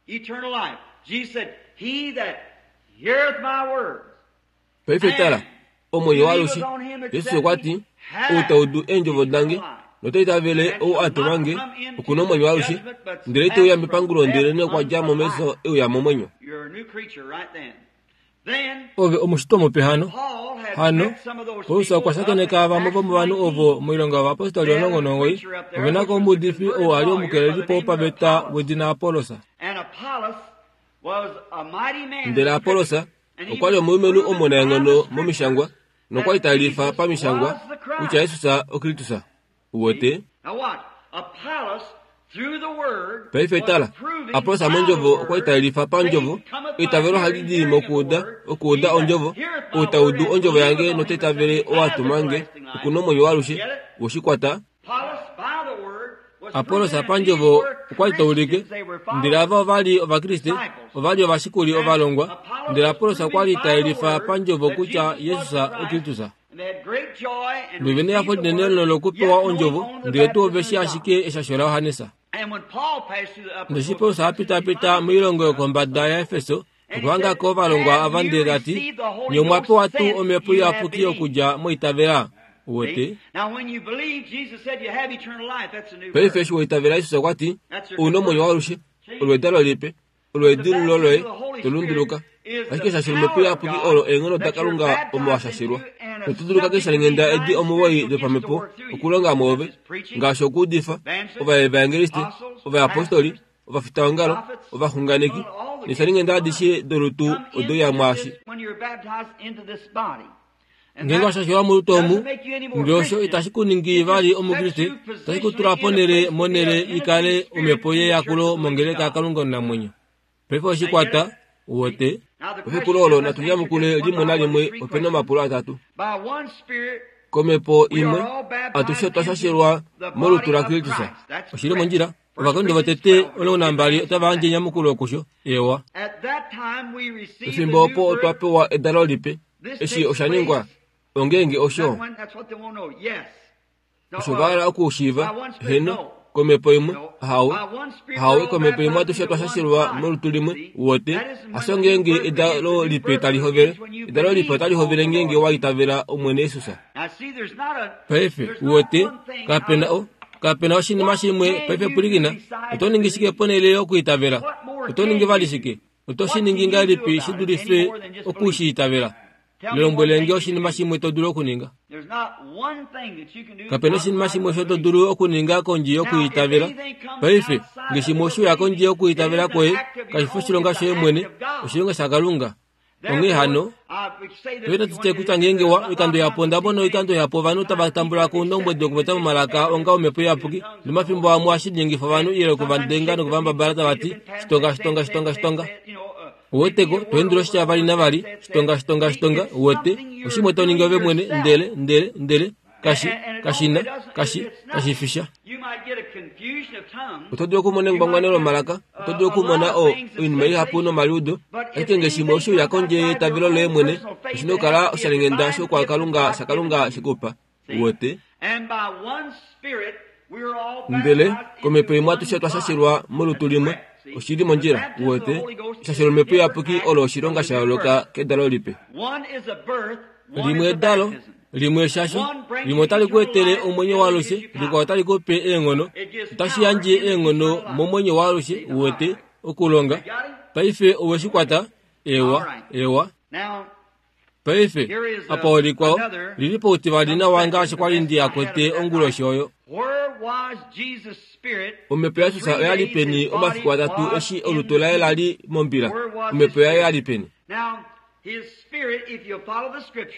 Eternal life. Jesus said, He that heareth my words Paife tala, and omwenyo waalushe. believeth on him that Jesus sent okwa me ti, ou hath ta udu eendjovo dange eternal life nota itavele and ou shall a tuma not nge, come oku into na omwenyo waalushe, judgment, but ndele ite uya passed from mepangulo death ndele okwa dja unto mo life. mefyo e uya momwenyo. You're a new creature right then. Then Ove omushitwa mupe hano. Paul had Hano, met some of those Paulus people okwa up in shakeneka vamwe Acts vomovanhu 19. ovo moilonga yovapostoli They had a 19, preacher up there ove na which ko was a omuudifi converted ou a li lawyer by the omukelelipo name of wopaveta Apollos. wedina Apollos. And Apollos was a mighty man in Ndele the Apollos scripture, and he okwa li was omulumenhu proving by the omunaenghono momishangwa scriptures nokwa li that ta lifa Jesus pamishangwa was the kutya Christ. Jesus oKristus. Uwete? See? Now watch. Apollos, through the word, Paife was tala, proving Apollos by the mondjovo okwa li word, ta lifa pandjovo, faith cometh by eitavelo ohali hearing, di hearing of the mokuuda, word. okuuda He that ondjovo, heareth my ou ta word udu and ondjovo believeth yange on nota him that sent itavele me ou a has tuma nge, everlasting oku life. na omwenyo waalushe. Get it? Woshikwata? Apollos, by the word, was Apollos proving that these pandjovo were okwa li ta ulike, Christians. They were ndele followers, ava ova li Ovakriste, disciples. ova li ovashikuli And ovalongwa, Apollos ndele was Apollos okwa proving li ta by the yelifa word pandjovo that kutya Jesus was Jesus the Christ. oKristus. And they had great joy and Nove nehafo received the linene word, nolokupewa yet knowing ondjovo, only the ndele tuu baptism ove of shi John. ashike eshasho laJohannes. And when Paul passed through the upper Ndeshi coast Paulus of a Ephesus, pita he pita found moilongo some yokombada yaEfeso, And he okuhanga said, ko ovalongwa Have ava you ndele ta ti, received the Holy Nye omwa Ghost pewa tuu since omhepo you have iyapuki believed? okudja moitavela? Uwete? See? Now when you believe, Jesus said you have eternal life. That's a new Paife birth. eshi wa itavela Jesus okwa ti, That's your ou na omwenyo conversion. waalushe, Change. olo edalo lipe. Olo edilululo loye, to lunduluka. Ashike eshashelo lomhepo iyapuki olo eenghono daKalunga omo wa shashelwa. Noto dulu keeshalinghenda edi omuwoi dopamhepo okulonga mwoove, ngaashi okuudifa, ovaevangeliste, ovayapostoli, ovafitaongalo, ovaxunganeki, neeshalinghenda adishe dolutu ode uya mwaashi. Ngeenge wa shashelwa molutu omu, nge osho itashi ku ningi vali Omukriste, otashi ku tula ponhele monhele i kale omhepo yeyakulo mongeleka yaKalunga omunamwenyo. Paife oshi kwata, uwete. Efiku olo natu nyamukule limwe nalimwe ope na omapulo atatu. Komhepo imwe, atushe otwa shashelwa molutu laKristus. Oshi li mondjila. Ovakorinto votete 12 otava yandje enyamukulo kusho, eewa. Pefimbo opo otwa pewa edalo lipe. Eshi osha ningwa, ongeenge osho. Osho va hala okushiiva, heeno, komhepo imwe, ahawe, ahawe, komhepo imwe atushe otwa shashelwa molutu limwe, uwete, hasho ngeenge edalo lipe tali hovele. Edalo lipe otali hovele ngeenge wa itavela Omwene Jesus. Paife, uwete, kape na o, kape na oshinima shimwe, paife pwilikina, oto ningi shike ponhele yokuitavela? Oto ningi vali shike? Oto shi ningi ngahelipi shi dulife oku shi itavela? Lombwele nge oshinima shimwe to dulu okuninga. Kape na oshinima shimwe osho to dulu okuninga kondje yokwiitavela. Paife, nge shimwe oshe uya kondje yokwiitavela kwoye, kashi fi oshilonga shoye mwene, oshilonga shaKalunga. Onghee hano, paife natu tye kutya ngeenge wa, oikando ihapu onda mona oikando ihapu ovanhu tava tambula ko oundombwedi wokupopya momalaka onga omhepo iyapuki, nomafimbo amwe ohashi linyengifa ovanhu ile oku va denga noku va mbabala tava ti, Shitonga, shitonga, shitonga, shitonga. Uweteko, to endula oshitya vali navali, shitonga, shitonga, shitonga, uwete, oshimwe to ningi ove mwene, ndele, ndele, ndele, kashi, kashi na, kashi, kashi fi sha. Oto dulu okumona engwangwano lomalaka, oto dulu okumona o, oinima ihapu nomaliudo, ashike nge shimwe oshe uya kondje yeitavelo loye mwene, oshi na okukala oshalinghenda shoukwakalunga shaKalunga she ku pa. Uwete? Ndele komhepo imwe atushe otwa shashelwa molutu limwe. Oshi li mondjila, uwete. Eshashelo lomhepo iyapuki olo oshilonga sha yooloka kedalo lipe. Limwe edalo, limwe eshasho, limwe otali ku etele omwenyo waalushe, likwao otali ku pe eenghono. Otashi yandje eenghono momwenyo waalushe, uwete, okulonga. Paife owe shi kwata? Ewa, ewa. Paife, apa olikwao, li li poutivali nawa ngaashi kwa li ndi a kwete onguloshi oyo. Omhepo yaJesus oya li peni omafiku atatu eshi olutu laye la li mombila? Omhepo yaye ya li peni?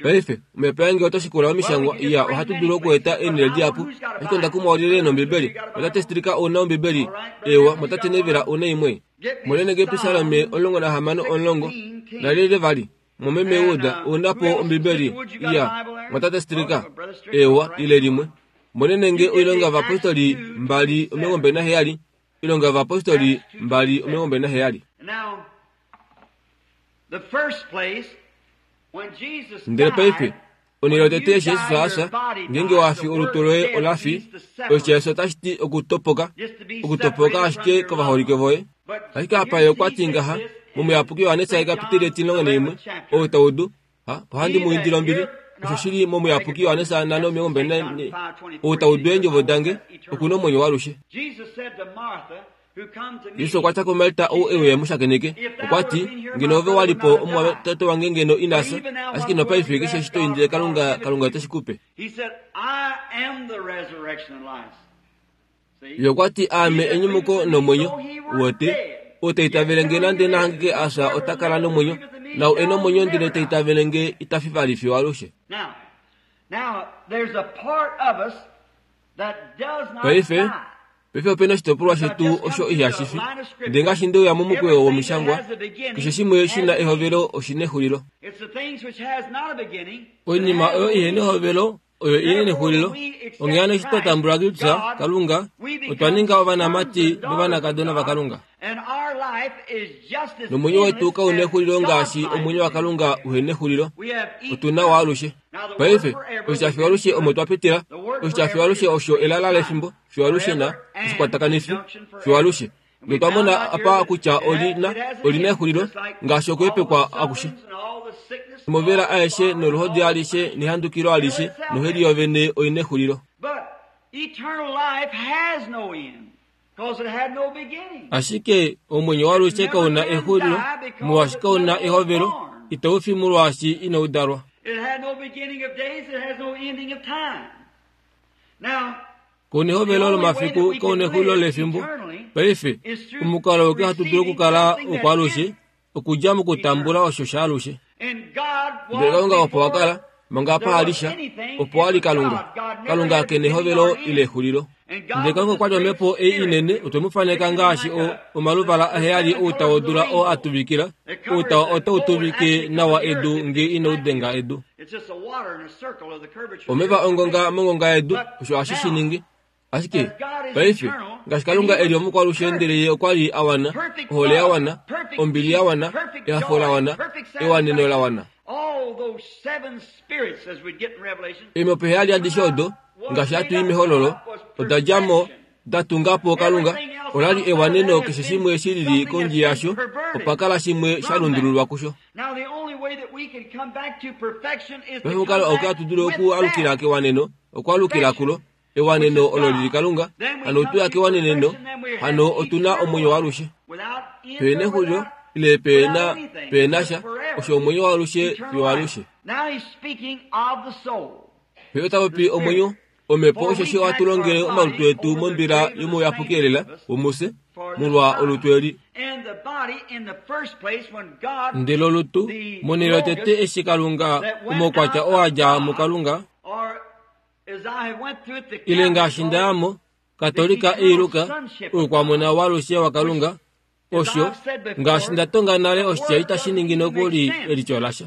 Paife, omhepo yaye ngee oto shikula omishangwa, iya, ohatu dulu okueta eenhele dihapu. Ashike onda kumwa olyelye nOmbibeli. Otate Stricker ou na Ombibeli? Eewa, Mwatate Neville ou na imwe? Monene nge Episalome 16 10 Nalyelye vali? Momeme Wood, ou na po Ombibeli? Iya. Mwatate Stricker? Eewa, ile limwe. Monene nge Oilonga yOvapostoli 2:27, Oilonga yOvapostoli 2:27. Ndele paife, onhele yotete eshi Jesus a fya, ngeenge wa fi olutu loye ola fi, oshitya eshi otashi ti okutopoka, okutopoka ashike kovaholike voye. Ashike apa ye okwa ti ngaha, mOmuyapuki Johannes ekapiteli etimulongo naimwe, ou ta udu, ha, ohandi mu indile ombili, osho shi li mOmuyapuki Johannes 5:24, ou ta udu eendjovo dange, oku na omwenyo waalushe. Jesus okwa tya kuMarta ou e uya e mu shakeneke, okwa ti, Ngeno ove wa li po, omumwatate wange ngeno ina fya. Ashike nopaife keshe eshi to indile Kalunga, Kalunga ote shi ku pe. Ye okwa ti, Aame enyumuko nomwenyo. Uwete? Ou ta itavele nge nande na hangike a fya ota kala nomwenyo, naau e nomwenyo ndele ta itavele nge ita fi vali fiyo alushe. Paife, paife ope na oshitopolwa shetu osho ihashi fi. Ndele ngaashi nde uya momukweyo womishangwa, keshe shimwe shi na ehovelo oshi nexulilo. Oinima oyo ihe nehovelo oyo ihe nexulilo. Onghee hano eshi twa tambula Kristus, Kalunga, otwa ninga ovanamati novanakadona vaKalunga. Nomwenyo wetu kau nexulilo ngaashi omwenyo waKalunga uhe nexulilo. Otu na waalushe. Paife, oshitya fiwalushe omo twa pitila. Oshitya fiwalushe osho elala lefimbo, fiwalushe na oshikwatakanifi, fiwalushe. Notwa mona apa kutya oli na, oli na exulilo, ngaashi okuhepekwa akushe. Omovela aeshe noluhodi alishe nehandukilo alishe noheli yovene oi na exulilo. Ashike omwenyo waalushe kau na exulilo, molwaashi kau na ehovelo, itau fi molwaashi inau dalwa. Kau na ehovelo lomafiku, kau na exulilo lefimbo. Paife, omukalo auke hatu dulu okukala wokwaalushe okudja mokutambula osho shaalushe. Ndele Kalunga opo a kala, manga apa a li sha, opo a li Kalunga. Kalunga ke na ehovelo ile exulilo. Ndele Kalunga okwa li omhepo ei inene, otwe mu faneka ngaashi o, omaluvala aheyali outa wodula oo a tuvikila. Outa otau tuvike nawa edu nge inau denga edu. Omeva ongonga mongonga yedu, osho hashi shi ningi. Ashike, paife, ngaashi Kalunga e li omukwalushe ndele Ye okwa li a wana, ohole ya wana, ombili ya wana, ehafo la wana, ewaneno la wana. Eemhepo heyali adishe odo, ngaashi hatu i mEhololo, oda dja mo, da tunga po Kalunga. Ola li ewaneno keshe shimwe shi lili kondje yasho, opa kala shimwe sha lundululwa kusho. Paife omukalo auke hatu dulu okualukila kewaneno, okwaalukila kulo, Ewaneno olo lili Kalunga, hano otu ya kewaneneno, hano otu na omwenyo waalushe. Pe nexulilo, ile pe na, pe na sha, osho omwenyo waalushe fiyo alushe. Pe ota popi omwenyo, omhepo, osheshi ohatu longele omalutu etu mombila yomouyapuki elela womufye, molwa olutu eli. Ndele olutu, monhele yotete eshi Kalunga, omaukwatya oo a dja muKalunga, Ile ngaashi nda ya mo, Katolika iiluka, oukwamona walushe waKalunga, osho, ngaashi nda tonga nale oshitya itashi ningi nokuli elityo lasha.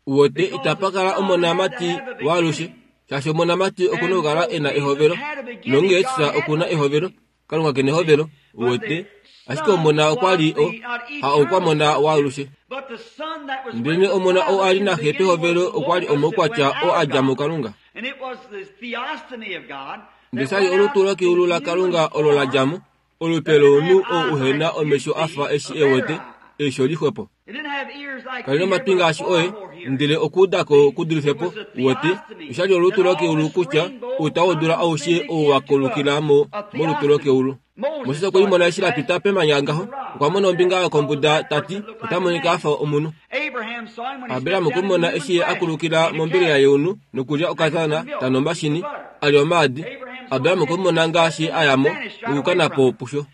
Uwete, itapa kala omonamati waalushe, shaashi omonamati oku na okukala e na ehovelo, nonghee Jesus oku na ehovelo, Kalunga ke nehovelo, uwete. Ashike omona okwa li o, ha oukwamona waalushe. Ndelenee omona oo a li naxe pehovelo okwa li omaukwatya oo a dja muKalunga. Ndele sha li olutu lokeulu laKalunga olo la dja mo, olupe lomunhu ou uhe na omesho a fa eshi e wete, eisho lixwepo. Kali nomatwi ngaashi oye, ndele okuuda ko ku dulife po. Uwete, osha li olutu lokeulu kutya outa wodula aushe ou wa kolukila mo molutu lokeulu. Moses okwe limona eshi la pita pemanya ngaho, okwa mona ombinga yokombuda ta ti, ota monika a fa omunhu. Abraham okwe mu mona eshi ye a kulukila mombelela yeunu nokulya okatana ta nu omashini, a lya omaadi. Abraham okwe mu mona ngaashi a ya mo nokukana po pusho.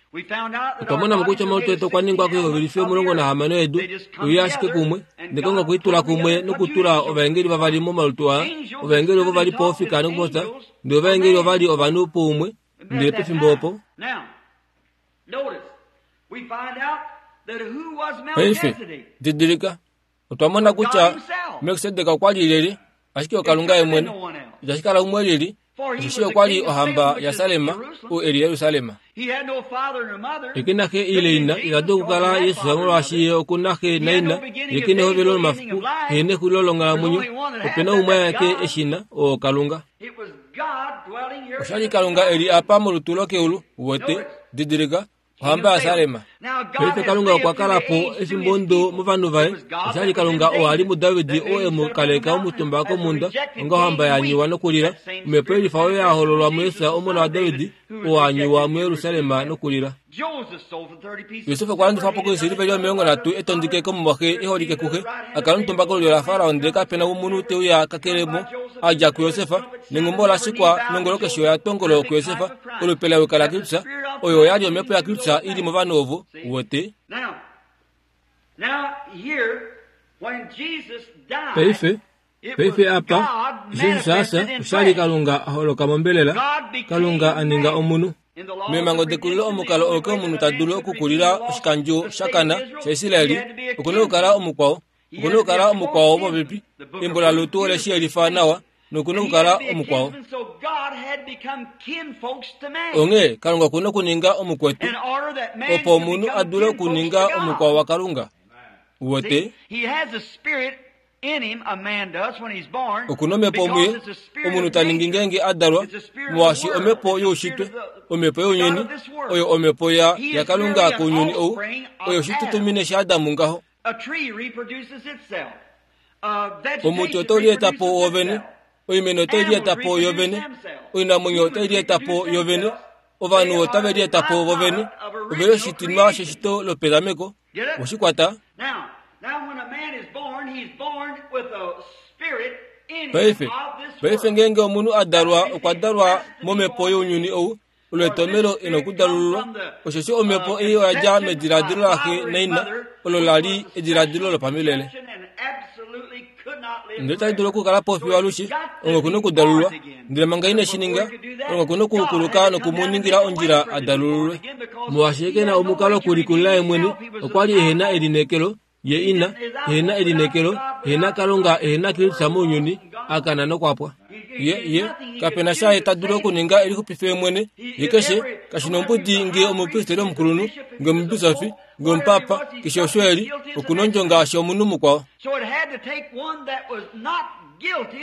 Otwa mona mo kutya omalutu etu okwa ningwa koihovelifi 16 yedu, uye ashike kumwe, ndele Kalunga okwe i tula kumwe nokutula ovaengeli vavali momalutu aa. Ovaengeli ovo va li po ofika nokupopya, ndele ovaengeli ova li ovanhu poumwe, ndele pefimbo opo. Paife, didilika, Otwa mona kutya Melkisedek okwa li lyelye, ashike oKalunga ye mwene. Itashi kala umwe lili, osheshi okwa li ohamba yaSalem, ou e li Jerusalem. Ye ke na xe ile ina, ita dulu okukala Jesus molwaashi ye oku na xe naina. Ye ke nehovelo lomafiku, he nexulilo longhalamwenyo. Ope na umwe aeke e shi na, oo Kalunga. Osha li Kalunga e li apa molutu lokeulu, uwete, didilika, ohamba yaSalem. Paife Kalunga okwa kala po efimbo ndo movanhu vaye. Osha li Kalunga oo a li muDavid oo e mu kaleka omutumba komhunda onga ohamba ya nyuwa nokulila. Omhepo yelifa oyo ya hololwa muJesus omona waDavid oo a nyuwa muJerusalem nokulila. Josef okwa landifwa po koisiliveli 30 e tondike komumwaxe e holike kuxe, a kala omutumba kolulyo laFarao ndele kape na omunhu te uya kakele mo a dja kuJosef. Nenghumbo ola shikwa nongolo keshe oya tongolo kuJosef, olupe la yuka laKristus. Oyo oya li omhepo yaKristus i li movanhu ovo, uwete. Paife, paife apa, Jesus a fya, osha li Kalunga a holoka mombelela, Kalunga a ninga omunhu. Meemhango dekulilo omukalo oo omunhu ta dulu okukulila oshikandjo sha kana shaIsrael oku na okukala omukwao Oku na okukala omukwao wopopepi. Embo laRut ole shi yelifa nawa noku na okukala omukwao. Onghee Kalunga oku na okuninga omukwetu opo omunhu a dule okuninga omukwao waKalunga. Uwete? Oku na omhepo muye, omunhu ta ningi ngeenge a dalwa, molwaashi omhepo youshitwe, omhepo younyuni, oyo omhepo ya, yaKalunga kounyuni ou, oyo oshitutumine shaAdam ngaho. Omuti otau lieta po wovene. Oimeno otai lieta po yovene, oinamwenyo otai lieta po yovene, ovanhu otave lieta po vovene. Ove li oshitinwa sheshito lopetameko. Oshi kwata? Paife, paife ngeenge omunhu a dalwa okwa dalwa momhepo younyuni ou, olo etomelo e nokudalululwa, osheshi omhepo ei oya dja mediladilo laxe naina, olo la li ediladilo lopamilele. Ndele otali dulu okukala po fiyo alushe, onge oku nokudalulwa. Ndele manga ine shi ninga, onge oku nokukuluka noku mu ningila ondjila a dalululwe. Molwaashi ke na omukalo okulikulila ye mwene, okwa li ehe na elineekelo, ye ina, ehe na elineekelo, ehe na Kalunga, ehe na Kristus mounyuni, a kana nokwa pwa. Ye, ye, kape na sha ye ta dulu okuninga e lixupife ye mwene. Ye keshe, kashi nombudi nge omupristeri omukulunhu, nge omubisofi, nge omupapa, keshe osho e li, oku nondjo ngaashi omunhu mukwao.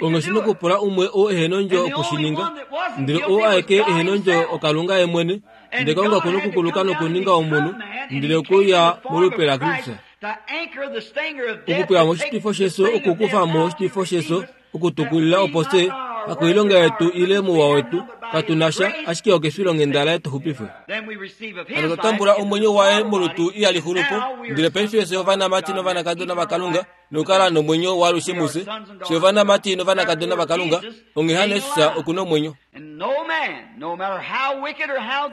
Onge shi nokupula umwe oo ehe nondjo oku shi ninga. Ndele oo aeke ehe nondjo oKalunga ye mwene. Ndele Kalunga oku nokukuluka nokuninga omunhu, ndele okuya molupe laKristus. Okupweya mo oshitwifo shefyo, okukufa mo oshitwifo shefyo, okutukulila opo fye, hakoilonga yetu ile mouwa wetu, katu na sha, ashike okefilonghenda laye tu xupifwe. Hano twa tambula omwenyo waye molutu ihali xulu po, ndele paife fye ovanamati novanakadona vaKalunga, nokukala nomwenyo waalushe mufye. Fye ovanamati novanakadona vaKalunga, onghee hano Jesus oku na omwenyo.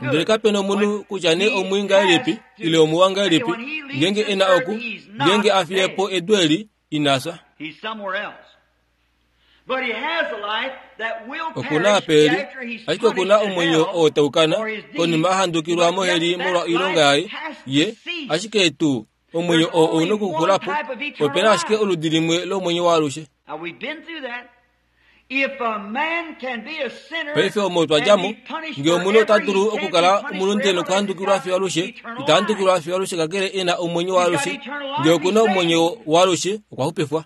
Ndele kape na omunhu kutya nee omwii ngahelipi ile omuwa ngahelipi, ngeenge e na oku, ngeenge a fiye po edu eli, ina fya. Oku na apa e li, ashike oku na omwenyo oo tau kana konima a handukilwa moheli molwa oilonga yaye, ye, ashike tuu omwenyo oo ou na okuxula po. Ope na ashike oludi limwe lomwenyo waalushe. Paife omo twa dja mo, nge omunhu ota dulu okukala omulunde nokuhandukilwa fiyo alushe, ita handukilwa fiyo alushe kakele e na omwenyo waalushe. Nge oku na omwenyo waalushe, okwa xupifwa.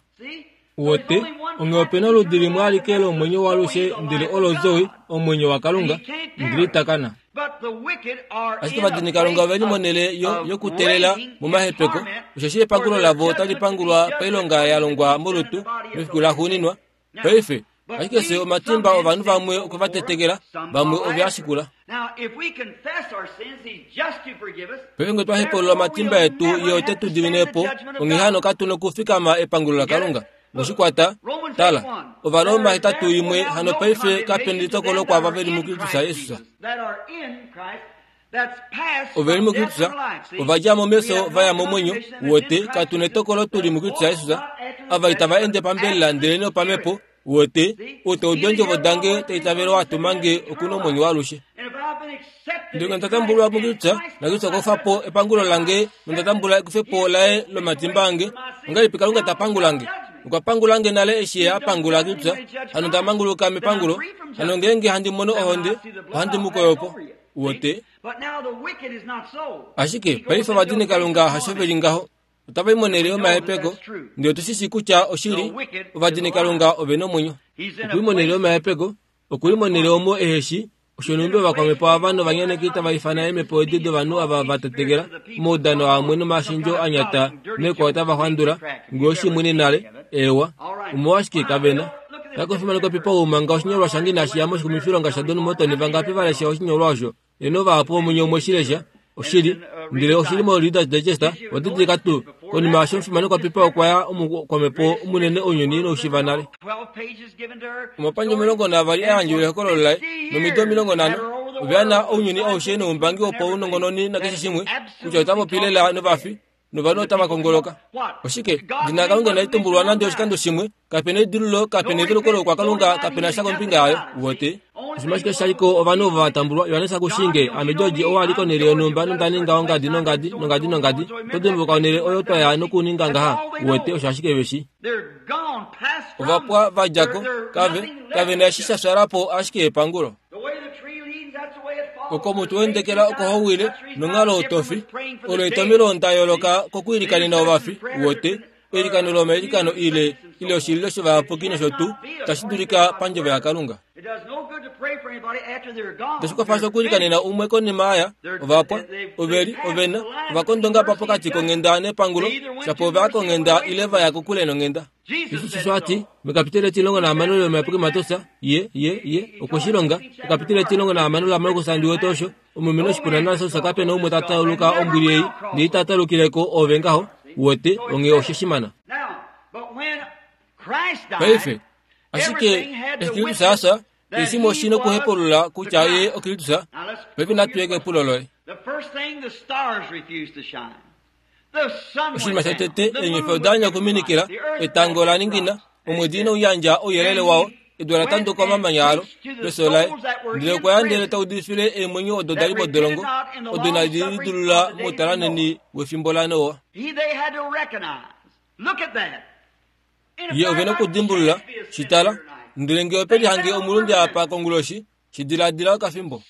Wote, onghee ope na oludi limwe alike lomwenyo waalushe, ndele olo Zoe, omwenyo waKalunga, ndele ita kana. Ashike ovadinikalunga ove li monhele yo, yokuteelela momahepeko, osheshi epangulo lavo otali pangulwa pailonga ya longwa molutu mefiku laxuuninwa. Paife, ashike fye omatimba ovanhu vamwe okwe va tetekela, vamwe ove a shikula. Paife nge twa hepaulula omatimba etu, Ye ote tu dimine po, onghee hano katu nokufikama epangulo laKalunga. We shi kwata? Tala, Ovaroma 81, hano paife kape nelitokolo kwaava ve li muKristus Jesus. Ove li muKristus, ova dja mo mefyo va ya momwenyo, wote, katu netokolo tu li muKristus Jesus. Ava itava ende pambelela ndelenee opamhepo, wote, ou ta udu eendjovo dange ta itavele ou a tuma nge oku na omwenyo waalushe. Ndele nge nda tambulwa muKristus, naKristus okwa kufa po epangulo lange nonda tambula ekufepo laye lomatimba ange, ongahelipi Kalunga ta pangula nge? Okwa pangula nge nale eshi Ye a pangula Kristus, hano nda manguluka mepangulo. Hano ngeenge handi mono ohonde, ohandi mu koyo po. Wote? Ashike paife ovadinikalunga hasho ve li ngaho. Otava i monhele yomahepeko, ndele otu shi shii kutya oshili, ovadinikalunga ove na omwenyo. Oku i monhele yomahepeko, oku li monhele omo ehe shi osho nhumbi ovakwamhepo ava novanyaneki tava ifana eemhepo edi dovanhu ava va tetekela omaudano amwe nomashendjo a nyata naikwao tava xwandula ngee oshimwene nale. Eewa. Omolwashike kave na? Kakofimanekwa pipa ou manga oshinyolwa shange inashi ya moshikumifilonga shaDon Morton vangapi va lesha oshinyolwa osho? Eno vahapu vomunye omwe shi lesha. Oshili. Ndele oshi li moReader's Digest. Owa didilika tuu? Konima yaasho omufimanekwa Pipa okwa ya omukwamhepo munene ounyuni inau nale. Omapandja 12 a yandjwa ehokololo laye, nomido 50, ove ya na ounyuni aushe noumbangi wopaunongononi nakeshe shimwe, kutya ota popi lela novafi, novanhu otava kongoloka. Oshike? Edina laKalunga inali tumbulwa nande oshikando shimwe, kape na edilululo, kape na eduluko loukwakalunga, kape na sha kombinga yayo. Uwete? Oshinima ashike sha li ko ovanhu ovo va tambulwa, Johannes Akushinge, ame George, ou a li konhele yonhumba nonda ninga ongadi nongadi, nongadi nongadi. Oto dimbuluka onhele oyo twa ya nokuninga ngaha? Uwete, osho ashike ve shi. Ova pwa va dja ko, kave, kave na eshi sha fyala po ashike epangulo. Oko omuti wendekela oko ho wile, nonghalo oto fi. Olo etomhelo nda yooloka kokwiilikanena ovafi, uwete, eilikano lomailikano ile, ile oshililo shovayapuki nosho tuu, tashi dulika pandjovo yaKalunga. Itashi kwafa sha okwiilikanena umwe konima aya, ova pwa, ove li, ove na, ova kondonga pa pokati konghenda nepangulo, shapo ova ya konghenda ile va ya kokule nonghenda. Jesus osho a ti mekapiteli 16 lomayapuki Mateus, ye, ye, ye okwe shi longa. Ekapiteli 16 laMarkus ndi wete osho, omulumenhu oshipuna naLasarus kape na umwe ta tauluka ombwili ei, ndele ita taulukile ko ove ngaho, uwete, onghee oshe shi mana. Paife, ashike eshi Kristus a fya, keshe shimwe oshi nokuhepulula kutya ye oKristus. Paife natu ye kepulo loye. Oshinima shotete, eenyofi oda anya okuminikila, etango ola ningina, omwedi inau yandja ouyelele wao, edu ola tanduka omamanya alo pefyo laye. Ndele okwa ya ndele ta udifile eemwenyo odo da li modolongo, odo inadi lidulula moutalanheni wefimbo laNoa. Ye ove nokudimbulula, shi tala. Ndele nge ope lihange omulunde apa konguloshi, Shi diladila okafimbo.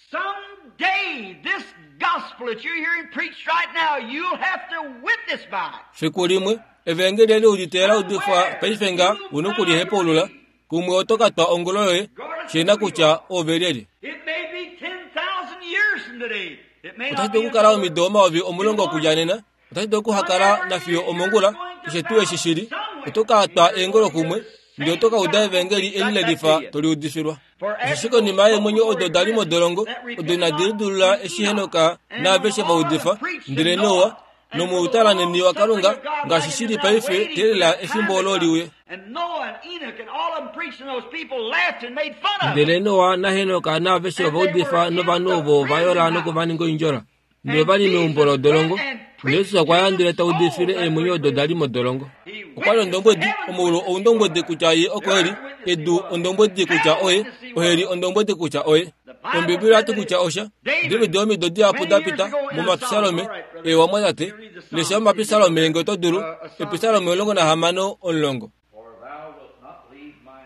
Fiku limwe, Evangeli eli udite la udifwa paife nga u nokulihepaulula, kumwe oto ka twa ongolo yoye, shi na kutya ove lyelye. Otashi dulu okukala omido 10,000 okudja nena, Otashi dulu okuhakala nafiyo omongula, keshe tuu eshi shi li. Oto ka twa eengolo kumwe, ndele oto ka uda evangeli eli le lifa to li udifilwa. Osheshi konima yeemwenyo odo da li modolongo, odo inadi lidulula eshi Henok naaveshe va udifa, ndele Noa, nomoutalanheni waKalunga, ngaashi shi li paife, teelela efimbo olo li uye. Ndele Noa naHenok naaveshe ova udifa novanhu ovo ova yola noku va ninga oindjola. Ndele ova li meumbo lodolongo. Jesus okwa ya ndele ta udifile eemwenyo odo da li modolongo. Okwa li ondombwedi, omaulu oundombwedi kutya ye oko e li, edu ondombwedi kutya oye, oheli ondombwedi kutya oye. Ombibeli oya ti kutya osha. David omido dihapu da pita, mOmapisalome, eewa mwatate, lesha Omapisalome nge oto dulu, Episalome 16, 10.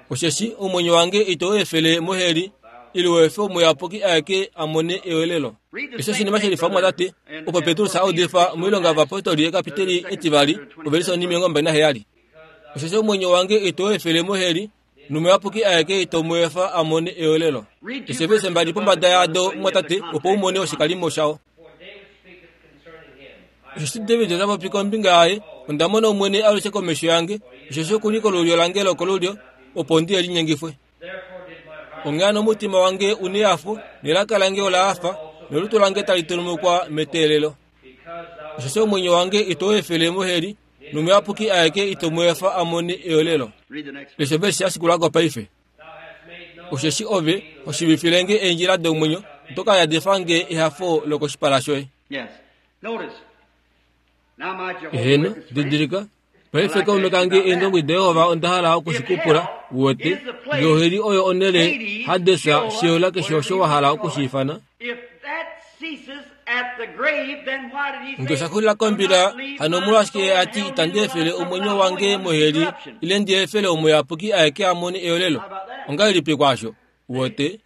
Osheshi omwenyo wange ito u efele moheli, ile u efe Omuyapuki aeke a mone ewelelo. Eshi oshinima she lifa mwatate, opo Petrus a udifa moilonga yovapostoli ekapiteli etivali, ovelise onhimilongo 27. Osheshi omwenyo wange ito u efele moheli, nOmuyapuki aeke ito mu efa a mone ewelelo. Eshi eevelise mbali pombada yado mwatate, opo u mone oshikalimo shao. Osheshi David ota popi kombinga yaye, Onda mona Omwene alushe komesho yange, osheshi oku li kolulyo lange lokolulyo, opo ndi linyengifwe. Onghee hano omutima wange u nehafo, nelaka lange ola hafa, nolutu lange tali tulumukwa meteelelo. Osheshi omwenyo wange ito u efele moheli, nOmuyapuki aeke ito mu efa a mone eyolelo. Lesha ovelishe ya shikula ko paife. Osheshi ove ho shiivifile nge eendjila domwenyo, oto ka yadifa nge ehafo lokoshipala shoye. Eheno, didilika, paife kaume kange Eendombwedi daJehova onda hala oku shi ku pula, u wete, nge oheli oyo onhele, Hades, Sheol, keshe osho wa hala oku shi ifana. Nge osha xulila kombila, hano omolwashike ye a ti itandi efele omwenyo wange moheli ile ndi efele omuyapuki aeke a mone eyolelo? Ongahelipi kwaasho? Uwete?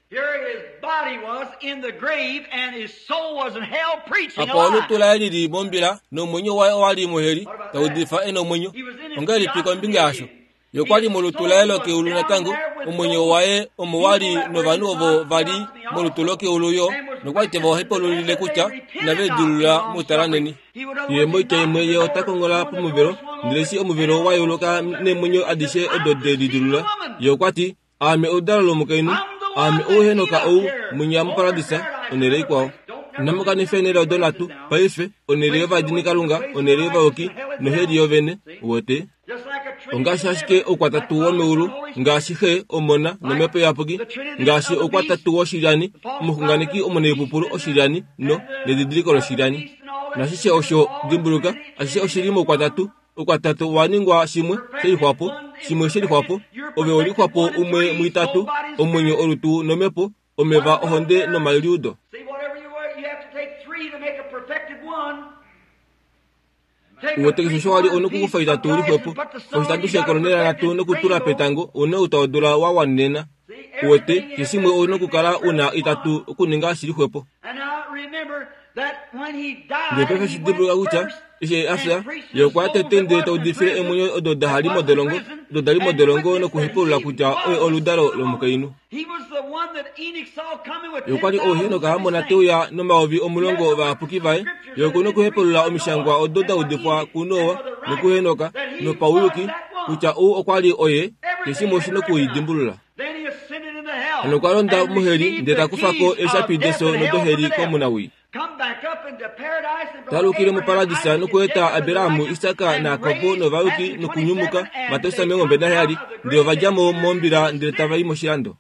Apa olutu laye li li mombila nomwenyo waye owa li moheli, ta udifa e nomwenyo. Ongahelipi kombinga yasho? Ye okwa li molutu laye lokeulu natango, omwenyo waye omo wa li novanhu ovo va li molutu lokeulu yo, nokwa li te va hepaululile kutya inave lidilulula moutalanheni. Ye moitya imwe ye ota kongola pomuvelo, ndele eshi omuvelo wa yeuluka neemwenyo adishe odo de lidilulula, ye okwa ti, Aame oludalo lomukainhu, aame ou Henok ou, mwinya muparadisa, onhele ikwao. Inamu kanifa eenhele odo nhatu, paife, onhele yovadinikalunga, onhele yovayuki, noheli yovene. Uwete? Ongaashi ashike oukwatatu womeulu, ngaashi Xe, Omona, nOmhepo Iyapuki, ngaashi oukwatatu woshilyani, omuxunganeki omunaipupulu oshilyani, no, nedidiliko loshilyani. Nashishe osho, dimbuluka, ashishe oshi li moukwatatu. Oukwatatu owa ningwa shimwe she lixwapo, shimwe she lixwapo. Ove we lixwapo umwe muitatu, omwenyo, olutu nomhepo, omeva, ohonde nomaliudo. Uwete keshe osho wa li onokukufa itatu lixwepo, oshitatu shekolonela nhatu nokutula petango, une ou tau dula wa wanenena. Uwete, keshe shimwe ou nokukala u na itatu okuninga shi lixwepo. Ndele paife shi dimbuluka kutya eshi ye a fya, ye okwa ya tete ndele ta udifile eemwenyo odo da li modolongo, odo da li modolongo nokuhepaulula kutya oye oludalo lomukainhu. Ye okwa li ou Henok a mona te uya 10,000 ovayapuki vaye. Ye oku nokuhepaulula omishangwa odo da udifwa kuNoa nokuHenok nopauyuki. kutya ou okwa li oye, keshimwe oshi nokuidimbulula. Hano okwa londa moheli ndele ta kufa ko eeshapi deso nodoheli komunawii. Talukile muparadisa nokueta Aberahamu, Isaka naJakob novayuki nokunyumuka, Mateus 27, ndele ova dja mo mombila ndele tava i moshilando.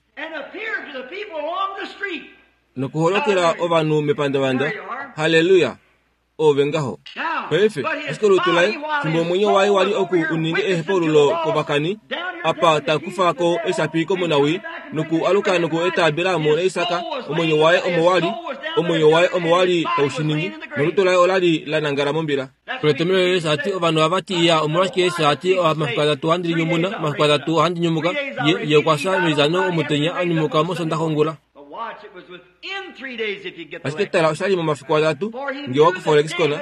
Nokuholokela ovanhu mepandavanda. Halleluya! Ove ngaho. Paife, ashike olutu laye, fimbo omwenyo waye wali oku u ninge ehepaululo kovakani, apa ta kufa ko eeshapi komunawii, noku aluka noku eta Abraham naIsak, omwenyo waye omo wa li, omwenyo waye omo wa li tau shi ningi, nolutu laye ola li la nangala mombila. Oletomhelo Jesus a ti, Ovanhu ohava ti, Iya, omolwashike Jesus a ti, Omafiku atatu ohandi linyumuna, omafiku atatu ohandi nyumuka? Ye, ye okwa fya meitano omutenya, a nyumuka mOsondaxa ongula. Ashike tala, osha li momafiku atatu, nge wa kufa olexicon,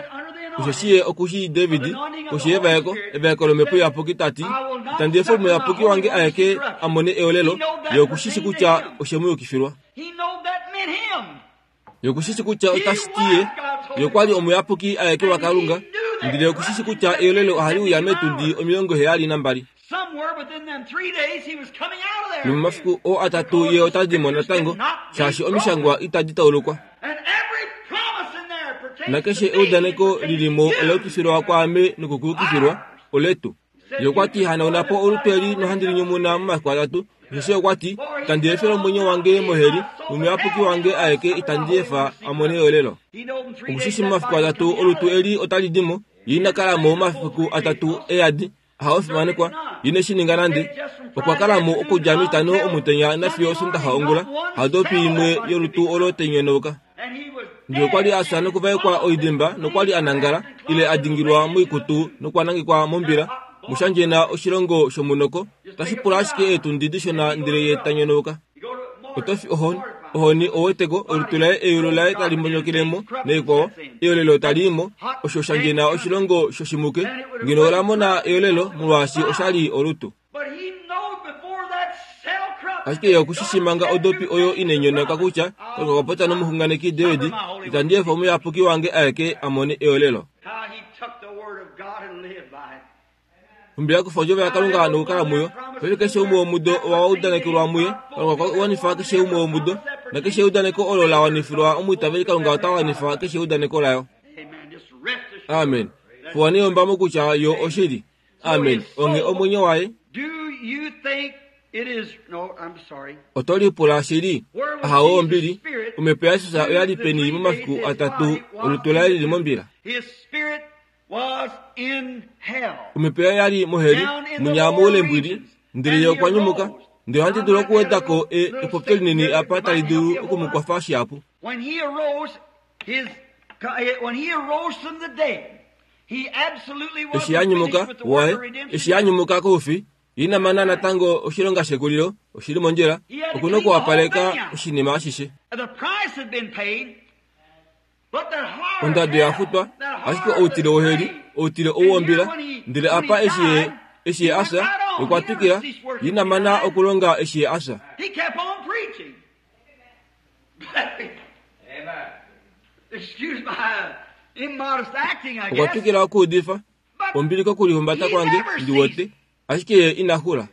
osheshi ye oku shii David, koshi yevaeko, evaeko lOmhepo Iyapuki, ta ti, Itandi efa Omuyapuki wange aeke a mone eolelo, ye oku shi shi kutya oshe mu yukifilwa. Ye oku shi shi kutya otashi ti ye, ye okwa li Omuyapuki aeke waKalunga, ndele oku shi shi kutya eolelo ohali uya meetundi 72. Nomomafiku oo atatu ye ota di mo natango, shaashi omishangwa itadi taulukwa. Nakeshe eudaneko li li mo ola yukifilwa kwaame nokukuyukifilwa, oletu. Ye okwa ti, Hanauna po olutu eli nohandi li nyumuna momafiku atatu. Osheshi okwa ti, Itandi efele omwenyo wange moheli, nomuyapuki wange aeke itandi efa a mone eolelo. Oku shi shi momafiku atatu olutu eli otali di mo, ye ina kala mo omafiku atatu e yadi. Hao fimanekwa, ine shi ninga nande. Okwa kala mo okudja mitano omutenya nafiyo Osondaxa ongula, hadopi imwe yolutu olo tai nyonauka. Ndele okwa li a fya nokuvaekwa oidimba nokwa li a nangala, ile a dingilwa moikutu nokwa nangekwa mombila. Mushandjena oshilongo shomunoko, otashi pula ashike eetundi dishona ndele ye ta nyonauka. Oto fi ohoni, ohoni oweteko, olutu laye eyulu laye tali mbonyokele mo, naikwao, eolelo tali i mo, osho sha ndjena oshilongo shoshimuke, ngeno ola mona eolelo molwaashi osha li olutu. Ashike ye oku shi shi manga odopi oyo inai nyonoka kutya Kalunga okwa popya nomuxunganeki David, Itandi efa omuyapuki wange aeke a mone eolelo. Nhumbi ya kufa ondjovo yaKalunga nokukala muyo. Paife keshe umwe womudo owa udanekelwa muye. Kalunga okwa wanifa keshe umwe womudo. Nakeshe eudaneko olo la wanifilwa omwiitaveli Kalunga ota wanifa keshe eudaneko layo. Amen. Fuwa neyombamo kutya yo oshili. Amen. Onge omwenyo waye. Oto lipula shili? Ahawo ombili. Omhepo yaJesus oya li peni momafiku atatu olutu laye lili mombila? Omhepo yaye ya li moheli, munya moule mbwili, ndele ye okwa nyumuka. Ndele ohandi dulu okuweda ko e, epopyo linini apa tali dulu oku mu kwafa shihapu. Eshi a nyumuka, waye, eshi a nyumuka koufi, ye ina mana natango oshilonga shekulilo, oshi li mondjila, oku nokuwapaleka oshinima ashishe. Ondado ya futwa, ashike outile woheli, outile ou wombila. Ndele apa eshi ye, eshi ye a fya, okwa twikila, ye ina mana okulonga eshi ye a fya. Okwa twikila okuudifa, Ombili kokulihumbata kwange, ndi wete, ashike ye ina xula.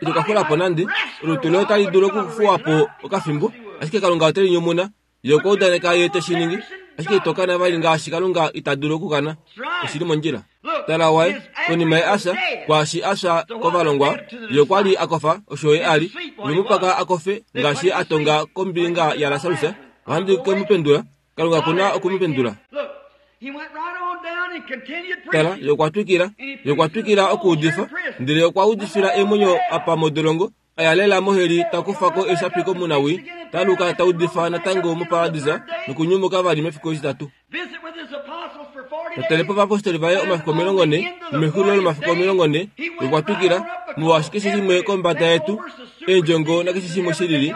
Ito ka xula po nande. Olutu loye otali dulu okufuwa po okafimbo, ashike Kalunga ote li nyumuna. Ye okwa udaneka Ye te shi ningi, ashike ito kana vali ngaashi Kalunga ita dulu okukana. Oshi li mondjila. Tala waye, konima ye a fya, kwaashi a fya kovalongwa, ye okwa li a kofa, osho ye a li. Ove mu paka a kofe, ngaashi ye a tonga kombinga yaLasarus, ohandi ke mu pendula. Kalunga oku na oku mu pendula. Tala, ye okwa twikila, ye okwa twikila okuudifa, ndele okwa udifila eemwenyo apa modolongo, a ya lela moheli ta kufa ko eeshapi komunawii, ta aluka ta udifa natango moparadisa nokunyumuka vali mefiku etitatu. Ta tale po ovapostoli vaye omafiku 40, nomexulilo lomafiku 40, ye okwa twikila, molwaashi keshe shimwe kombada yetu, eendjongo nakeshe shimwe shilili,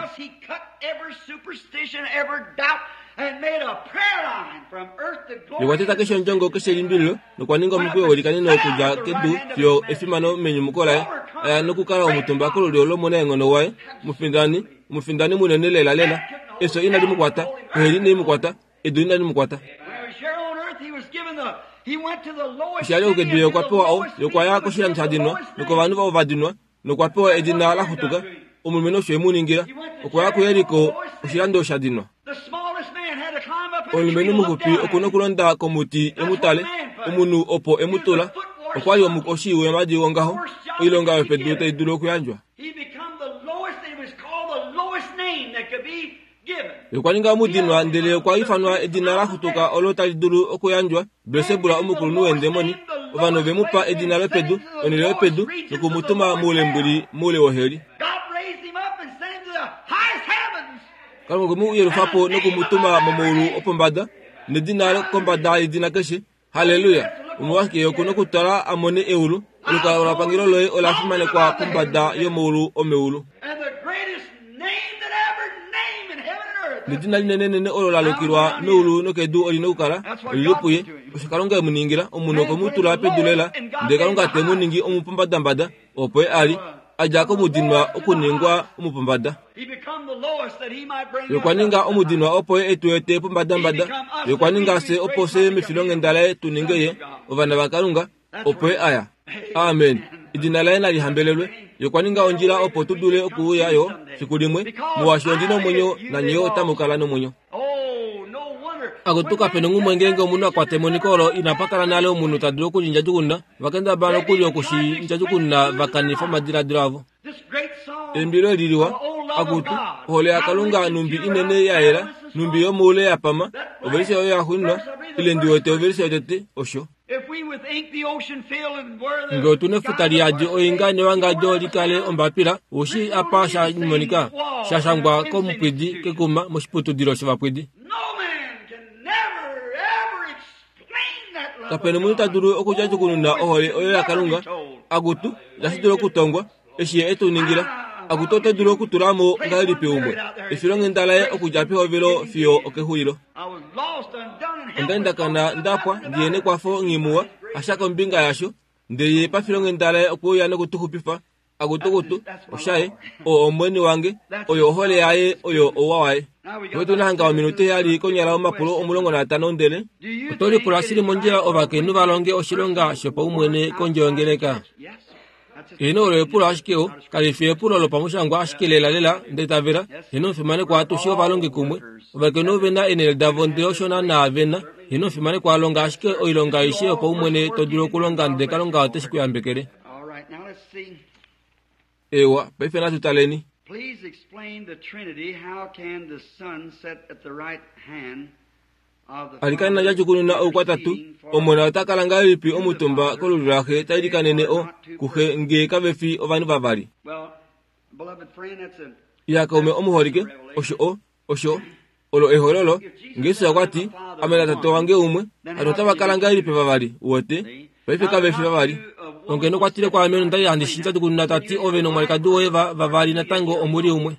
Okwa teta keshe ondjongo keshe elimbililo nokwa ninga omukweyo welikaneno okudja kedu fiyo efimano menyumuko laye, a ya nokukala omutumba kolulyo lOmunaenghono waye, omufindani, omufindani munene lelalela. Efyo inali mu kwata, oheli inai mu kwata, edu inali mu kwata. Eshi a li okedu ye okwa pewa o, ye okwa ya koshilando sha dinwa, nokovanhu vavo va dinwa, nokwa pewa edina la xutuka. Omulumenhu osho e mu ningila. Okwa ya kuJeriko, oshilando sha dinwa. Omulumenhu muxupi oku na okulonda komuti e mu tale, omunhu opo e mu tula. Okwa li omukoshi weemhadi wongaho, oilonga yopedu tai dulu okuyandjwa. Ye okwa ninga omudinwa ndele okwa ifanwa edina la xutuka olo tali dulu okuyandjwa, Belsebul omukulunhu weendemoni. Ovanhu ove mu pa edina lopedu, onhele yopedu, noku mu tuma moulembwili moule woheli. Kalunga okwe mu yelufa po noku mu tuma momaulu opombada, nedina kombada yedina keshe. Halleluya! Omolwashike ye oku nokutala a mone eulu? Olukalwapangelo loye ola fimanekwa pombada yomaulu omeulu. Nedina linenenene olo la lukilwa meulu nokedu oli nokukala oli li puye. Osho Kalunga e mu ningila, omunhu okwe mu tula pedu lela, ndele Kalunga te mu ningi omupombadambada, opo ye a li, a dja komudinwa okuningwa omupombada. Ye okwa ninga omudinwa opo ye e tu ete pombadambada. Ye okwa ninga fye opo fye mefilonghenda laye tu ninge ye, ovana vaKalunga, opo ye a ya. Amen. Edina laye nali hambelelwe. Ye okwa ninga ondjila opo tu dule okuuya yo fiku limwe, molwaashi ondi nomwenyo nanye yo otamu kala nomwenyo. Akutu kape nonghumwe ngeenge omunhu a kwata emoniko olo inapa kala nale omunhu ta dulu oku li ndjadjukununa, va kendabala nokuli oku shi ndjadjukununa va kanifa omadiladilo avo. Eimbilo eli liwa, akutu, ohole yaKalunga nhumbi inene ya yela, nhumbi yomoule ya pama, ovelishe oyo ya xuuninwa, ile ndi wete ovelishe yotete, osho. Nge otu nefuta li yadi oinga newangadjo li kale ombapila, ou shii apa sha monika? Sha shangwa komupwidi kekuma moshiputudilo shovapwidi. Kape nomunhu ta dulu okudjadjukununa ohole oyo yaKalunga. Akutu, itashi dulu okutongwa, eshi Ye e tu ningila. Akutu oto dulu okutula mo ngahelipi umwe efilonghenda laye okudja pehovelo fiyo okexulilo? Onda li nda kana nda pwa, ndi ye nekwafo nghimuwa, hasha kombinga yasho, ndele Ye pafilonghenda laye okwe uya noku tu xupifa. Akutukutu, oshaye, oo Omwene wange, oyo ohole yaye, oyo ouwa waye. Otu na hanga ominute heyali konyala omapulo 15 ndele oto lipula shili mondjila ovakainhu va longe oshilonga shopaumwene kondje yongeleka. Heeno, olo epulo ashike o, kali fi epulo lopamushangwa ashike lelalela nda itavela. Heeno, omufimanekwa, atushe ovalongi kumwe. Ovakainhu ove na eenhele davo ndele osho naanaa ve na. Heeno, omufimanekwa, longa ashike oilonga aishe yopaumwene to dulu okulonga ndele Kalunga ote shi ku yambekele. Eewa, paife natu taleni. Please explain the Trinity. How can the Son sit at the right hand of the Alikana djajukununa oukwatatu, Omona ota kala ngahelipi omutumba kolulyo laXe ta ilikanene o kuXe nge kave fi ovanhu vavali? Well, beloved friend, that's a Ya kaume omuholike, osho o, osho olo ehololo. Jesus okwa ti, Ame naTate wange umwe. Hano otava kala ngahelipi vavali? Uwete? Paife kave fi vavali. Ongeno okwa tile kwaame nonda li handi shi ndjadjukununa ta ti, Ove nomwalikadi woye va, vavali natango omu li umwe.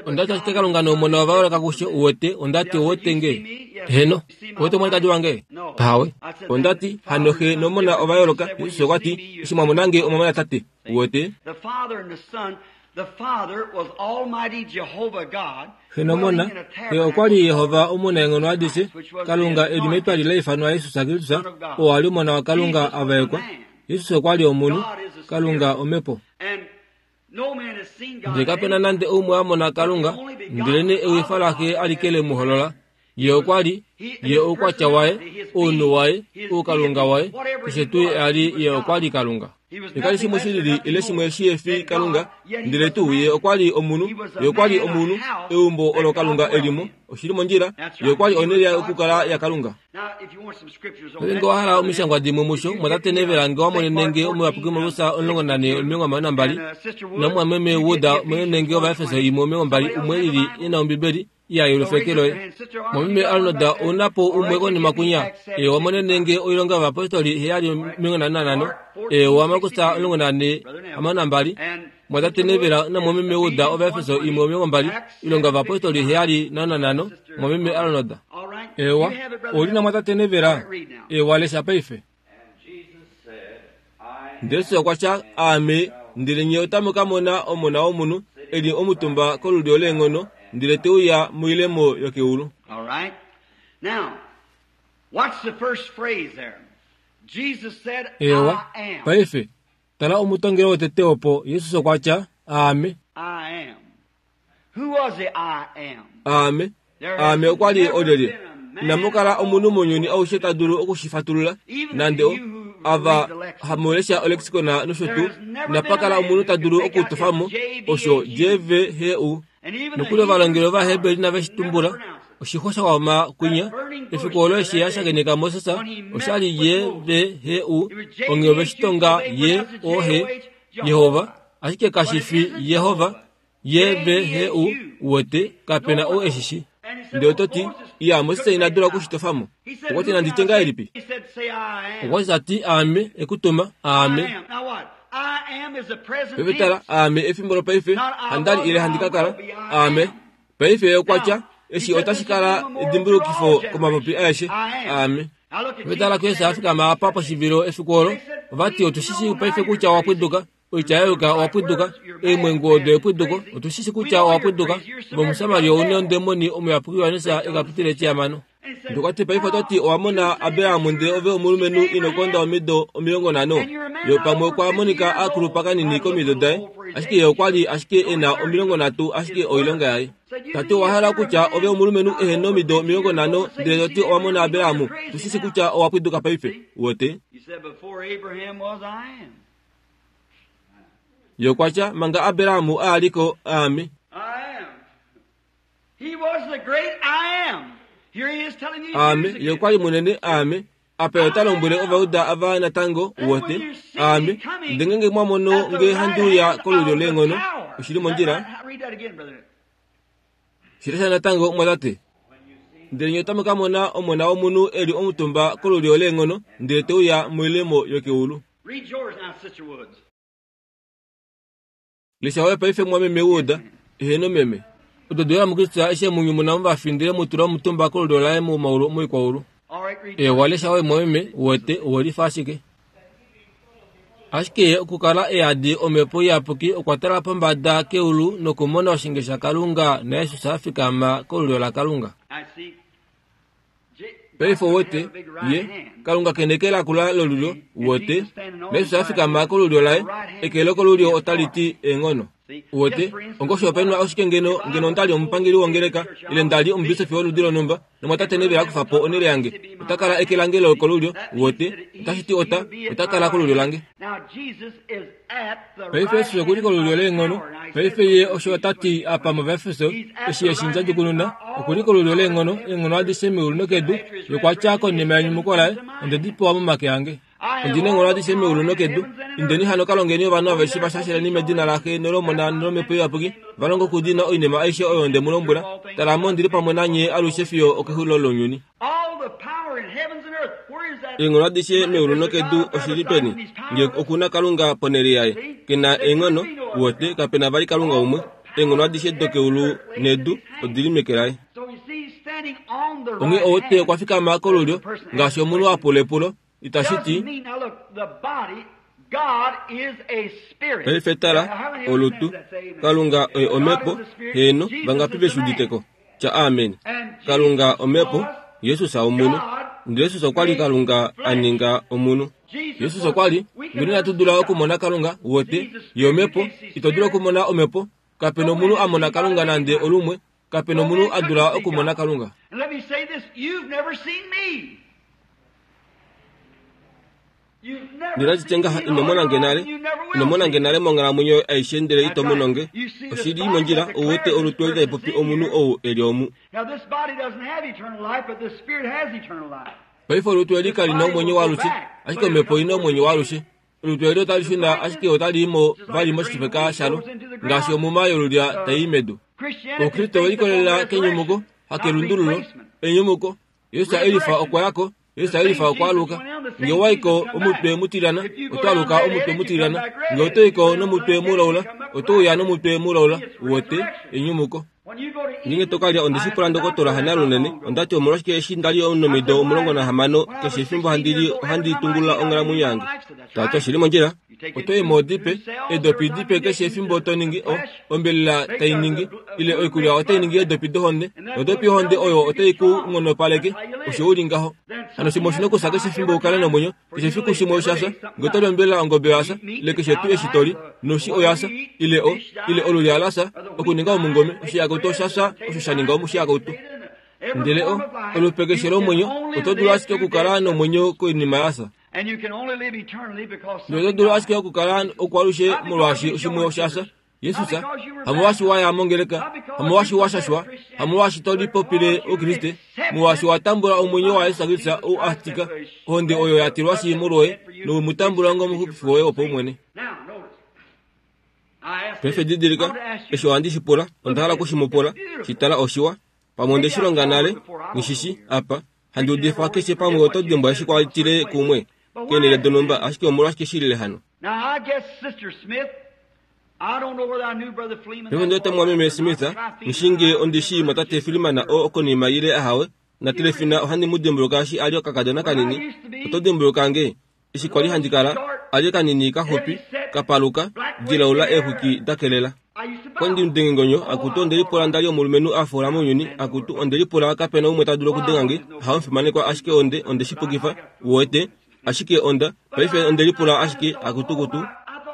Onda ti ashike Kalunga nOmona ova yooloka kushe, uwete. Onda ti, Ouwete nge? Heeno. Ouwete omwalikadi wange? Ahawe. Onda ti, Hano Xe nOmona ova yooloka. Jesus okwa ti, Eshi mwa mona nge, omwa mona Tate. Uwete? The Father and the Son The Father was Almighty Jehovah God, Xe nOmona, Xe okwa li Jehova Omunaenghono adishe, Kalunga e li metwali la ifanwa Jesus Kristus, oo a li Omona waKalunga a vaekwa. Jesus okwa li omunhu, Kalunga Omhepo. And no man has seen God Ndele kape na nande oumwe a mona Kalunga, ndelenee ewifa laXe alike le mu holola. Ye okwa li, ye oukwatya waye, ounhu waye, oukalunga waye, keshe tuu ye a li, ye okwa li Kalunga. Ye ka li shimwe shilili ile shimwe shi efi Kalunga, ndele tuu ye okwa li omunhu, ye okwa li omunhu, eumbo olo Kalunga e li mo, oshi li mondjila, ye okwa li onhele yokukala yaKalunga. Ngeenge owa hala omishangwa dimwe musho, mwatate Neville nge wa monene nge Omuyapuki Markus 14 22, namumwameme Wood monene nge Ovaefeso 1:20, umwe e lili e na Ombibeli, ya yelufa eke loye. Mwameme Arnold, ou na po umwe konima kwinya? Eewa, monene nge Oilonga yOvayapostoli 7:55, eewa, Markus 14 62, Mwatate Neville namwameme Wood, Ovaefeso 1:20, Oilonga yOvayapostoli 7:55, Mwameme Arnold. Eewa, ou li na Mwatate Neville? Eewa, lesha paife. Ndele Jesus okwa tya, Aame, ndele nye otamu ka mona Omona wOmunhu e li omutumba kolulyo leenghono, ndele te uya moilemo yokeulu. All right. Now, what's the first phrase there? Ewa, paife, tala omutongelo wotete opo Jesus okwa tya, Aame. Aame. Aame okwa li olyelye? Inamu kala omunhu mounyuni aushe ta dulu oku shi fatulula, nande o, ava hamu lesha olexicon nosho tuu, inapa kala omunhu ta dulu okutofa mo osho JVHU. Nokuli ovalongeli Ovaheberi inave shi tumbula. Oshixwa sha wama kwinya, efiku olo eshi a shakeneka Moses, osha li JVHU, onghee ove shi tonga J-O-H, Jehova, ashike kashi fi Jehova, J-V-H-U, uwete, kape na ou e shi shi. Ndele oto ti, Iya, Moses ina dula oku shi tofa mo. Okwa ti, Nandi tye ngahelipi? Okwa ti ta ti, Aame, e ku tuma. Aame. Paife tala, Aame efimbo lopaife, handa li ile handi ka kala. Aame. Paife ye okwa tya, Eshi otashi kala edimbulukifo komapopi aeshe. Aame. Paife tala kuJesus a fikama apa poshivilo efiku olo. Ova ti, Otu shi shii paife kutya owa pwiduka. Oitya ya yuka owa pwiduka, eemwengu odo epwiduko, otu shi shi kutya owa pwiduka. Ove Omusamaria ou nondemoni omuyapuki Johannes e ka pitile etiamano. Ndele okwa ti, Paife oto ti owa mona Abraham ndele ove omulumenhu ino konda omido 50? Ye pamwe okwa monika a kulupa kanini komido daye, ashike ye okwa li ashike e na 30 ashike oilonga yaye. Ta ti, Owa hala okutya ove omulumenhu ehe nomido 50 ndele to ti owa mona Abraham? Tu shi shi kutya owa pwiduka paife. Uwete? Ye okwa tya, Manga Abraham a li ko, aame. Aame. Ye okwa li munene, aame. Apa ye ota lombwele Ovauda ava natango, uwete, aame. Ndele ngeenge mwa mono nge handi uya kolulyo leenghono, oshi li mondjila. Shi lesha natango, omwatate. Ndele nye otamu ka mona Omona wOmunhu e li omutumba kolulyo leenghono, ndele te uya moilemo yokeulu. Lesha oyo paife mwameme Wood, eheno meme. Odo doye muKristus eshi e mu nyumuna movafi ndele mu tula omutumba kolulyo laye momaulu moikwaulu. Ewa lesha oyo mwameme, uwete, owe lifa ashike. Ashike ye okukala e yadi Omhepo Iyapuki okwa tala pombada keulu nokumona oshinge shaKalunga naJesus a fikama kolulyo laKalunga. Paife uwete, ye, Kalunga ke neke lakula lolulyo, uwete, naJesus a fikama kolulyo laye, eke lokolulyo otali ti eenghono. Uwete, ongoshihopaenenwa oshike ngeno, ngeno onda li omupangeli wongeleka, ile nda li omubisofi woludi lonhumba, nomwatate Neville a kufa po onhele yange, ota kala eke lange lokolulyo, uwete, otashi ti ota, ota kala kolulyo lange. Paife Jesus oku li kolulyo leenghono. Paife Ye osho ota ti apa mOvaefeso, eshi e shi ndjadjukununa, oku li kolulyo leenghono, eenghono adishe meulu nokedu. Ye okwa tya konima yenyumuko laye, Onde di pewa momake ange. Ondi na eenghono adishe meulu nokedu. Indeni hano ka longeni ovanhu aveshe va shasheleni medina laXe nolOmona nolOmhepo Iyapuki, va longe okudiinina oinima aishe oyo nde mu lombwela. Tala, Ame ondi li pamwe nanye alushe fiyo okexulilo lounyuni. Eenghono adishe meulu nokedu oshi li peni? Nge oku na Kalunga ponhele yaye, ke na eenghono, uwete, kape na vali Kalunga umwe. Eenghono adishe dokeulu nedu odi li meke laye. Onghee ouwete okwa fikama kolulyo, ngaashi omunhu a pula epulo, itashi ti. Paife tala, olutu. Kalunga oye Omhepo. Heeno, vangapi ve shi udite ko? Tya amen. Kalunga Omhepo, Jesus omunhu. Ndele Jesus okwa li Kalunga a ninga omunhu. Jesus okwa li, ngeno inatu dula okumona Kalunga, uwete, Ye Omhepo. Ito dulu okumona Omhepo. Kape nomunhu a mona Kalunga nande olumwe. Kape nomunhu a dula okumona Kalunga. Ndele nati tye ngaha, ino mona nge nale, ino mona nge nale monghalamwenyo yoye aishe ndele ito mono nge. Oshi li mondjila, ou wete olutu eli tali popi omunhu ou e li omu. Paife olutu eli kali na omwenyo waalushe, ashike omhepo oi na omwenyo waalushe. Olutu eli otali shuna ashike otali i mo vali moshifeka shalo, ngaashi omuma yolulya tai i medu. Oukriste owe likolelela kenyumuko, hakelundululo, enyumuko. Jesus elifa okwa ya ko, Jesus elifa okwa aluka. Nge owa i ko omutwe mutilyana, oto aluka omutwe mutilyana. Nge oto i ko nomutwe mulaula, oto uya nomutwe mulaula. Uwete, enyumuko. Ngeenge to ka lya onde shi pula ndokotola Hanal unene. Onda ti omolwashike eshi nda li omunamido 16 keshe efimbo handi li ohandi tungulula onghalamwenyo yange. Ta ti oshi li mondjila. Oto i mo dipe, eedopi dipe keshe efimbo to ningi o, ombelela tai ningi, ile oikulya otai ningi eedopi dohonde, nodopi yohonde oyo otai ku nghonopaleke, osho u li ngaho. Hano shimwe oshi nokufya keshe efimbo u kale nomwenyo, keshe efiku shimwe osha fya. Nge oto li ombelela ongobe oya fya, ile keshe tuu eshi to li, noshi oya fya, ile o, ile olulya la fya, okuninga omungome, oshiyakautu osha fya osho sha ninga omushiyakautu. Ndele o, olupe keshe lomwenyo, oto dulu ashike okukala nomwenyo koinima ya fya. Noto dulu ashike okukala okwalushe molwaashi oshimwe osha fya. Jesus, hamolwaashi wa ya mongeleka, hamolwaashi wa shashwa, hamolwaashi to lipopile Oukriste, molwaashi wa tambula omwenyo waJesus Kristus ou a tika, ohonde oyo ya tilwashi molwoye, nowe mu tambula ongomuxupifi woye wopaumwene. Paife didilika, eshi ohandi shi pula, onda hala oku shi mu pula, shi tala oshiwa. Pamwe onde shi longa nale, nghi shi shi, apa. Handi udifa keshe pamwe oto dimbwa eshi kwa tile kumwe, keenhele donhumba, ashike omolwashike shi lile hano? Paife ndi wete mumwameme Smith, nghi shii nge ondi shii mwatate Freeman oo okonima ile ahawe, naTrefina ohandi mu dimbuluka eshi a li okakadona kanini. Oto dimbuluka nge? Eshi kwa li handi kala, a li kanini kaxupi, ka paluka, dilaula eexwiki da kelela. Kwa ndi mudengengonyo, akutu onde lipula nda li omulumenhu a foola mounyuni, akutu onde lipula kape na umwe ta dulu okudenga nge, haomufimanekwa ashike onde, onde shi pukifa, uwete. Ashike onda, paife onde lipula ashike, akutukutu.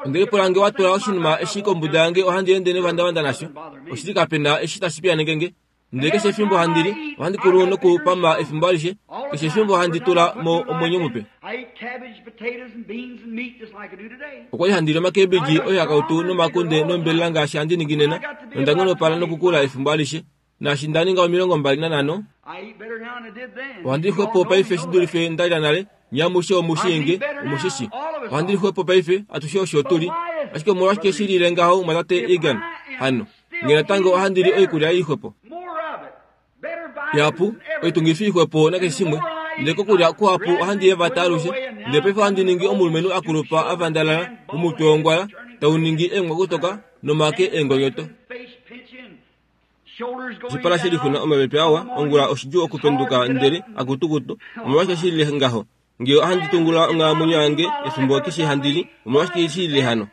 Onde lipula nge wa tula oshinima eshi kombuda yange ohandi ende nevandavanda nasho. Oshili kape na eshi tashi piyaneke nge. Ndele keshe efimbo handi li, ohandi kulu nokupama efimbo alishe. Keshe efimbo handi tula mo omwenyo mupe. Okwa li handi li omakebiji oihakautu nomakunde nombelela ngaashi handi ningi nena, nonda nghonopala nokukula efimbo alishe. Naashi nda ninga 25, ohandi li xwepo paife shi dulife nda lya nale. Nye amushe omu shii nge, omu shi shi. Ohandi li xwepo paife, atushe osho tu li. Ashike omolwashike shi lile ngaho, mumwatate Egan? Hano, nge natango ohandi li oikulya ii xwepo. Ihapu, oitungifi ixwepo nakeshe shimwe. Ndele kokulya kuhapu ohandi yevata alushe. Ndele paife ohandi ningi omulumenhu a kulupa a vandalala, omutwe wongwala, tau ningi eengwakutoka, nomake eengonyoto. Oshipala she lixuna omapepe awa, ongula oshidjuu okupenduka ndele, akutukutu, omolwashike shi lile ngaho? Nge ohandi tungula onghalamwenyo yange efimbo keshe handi li, omolwashike shi lile hano?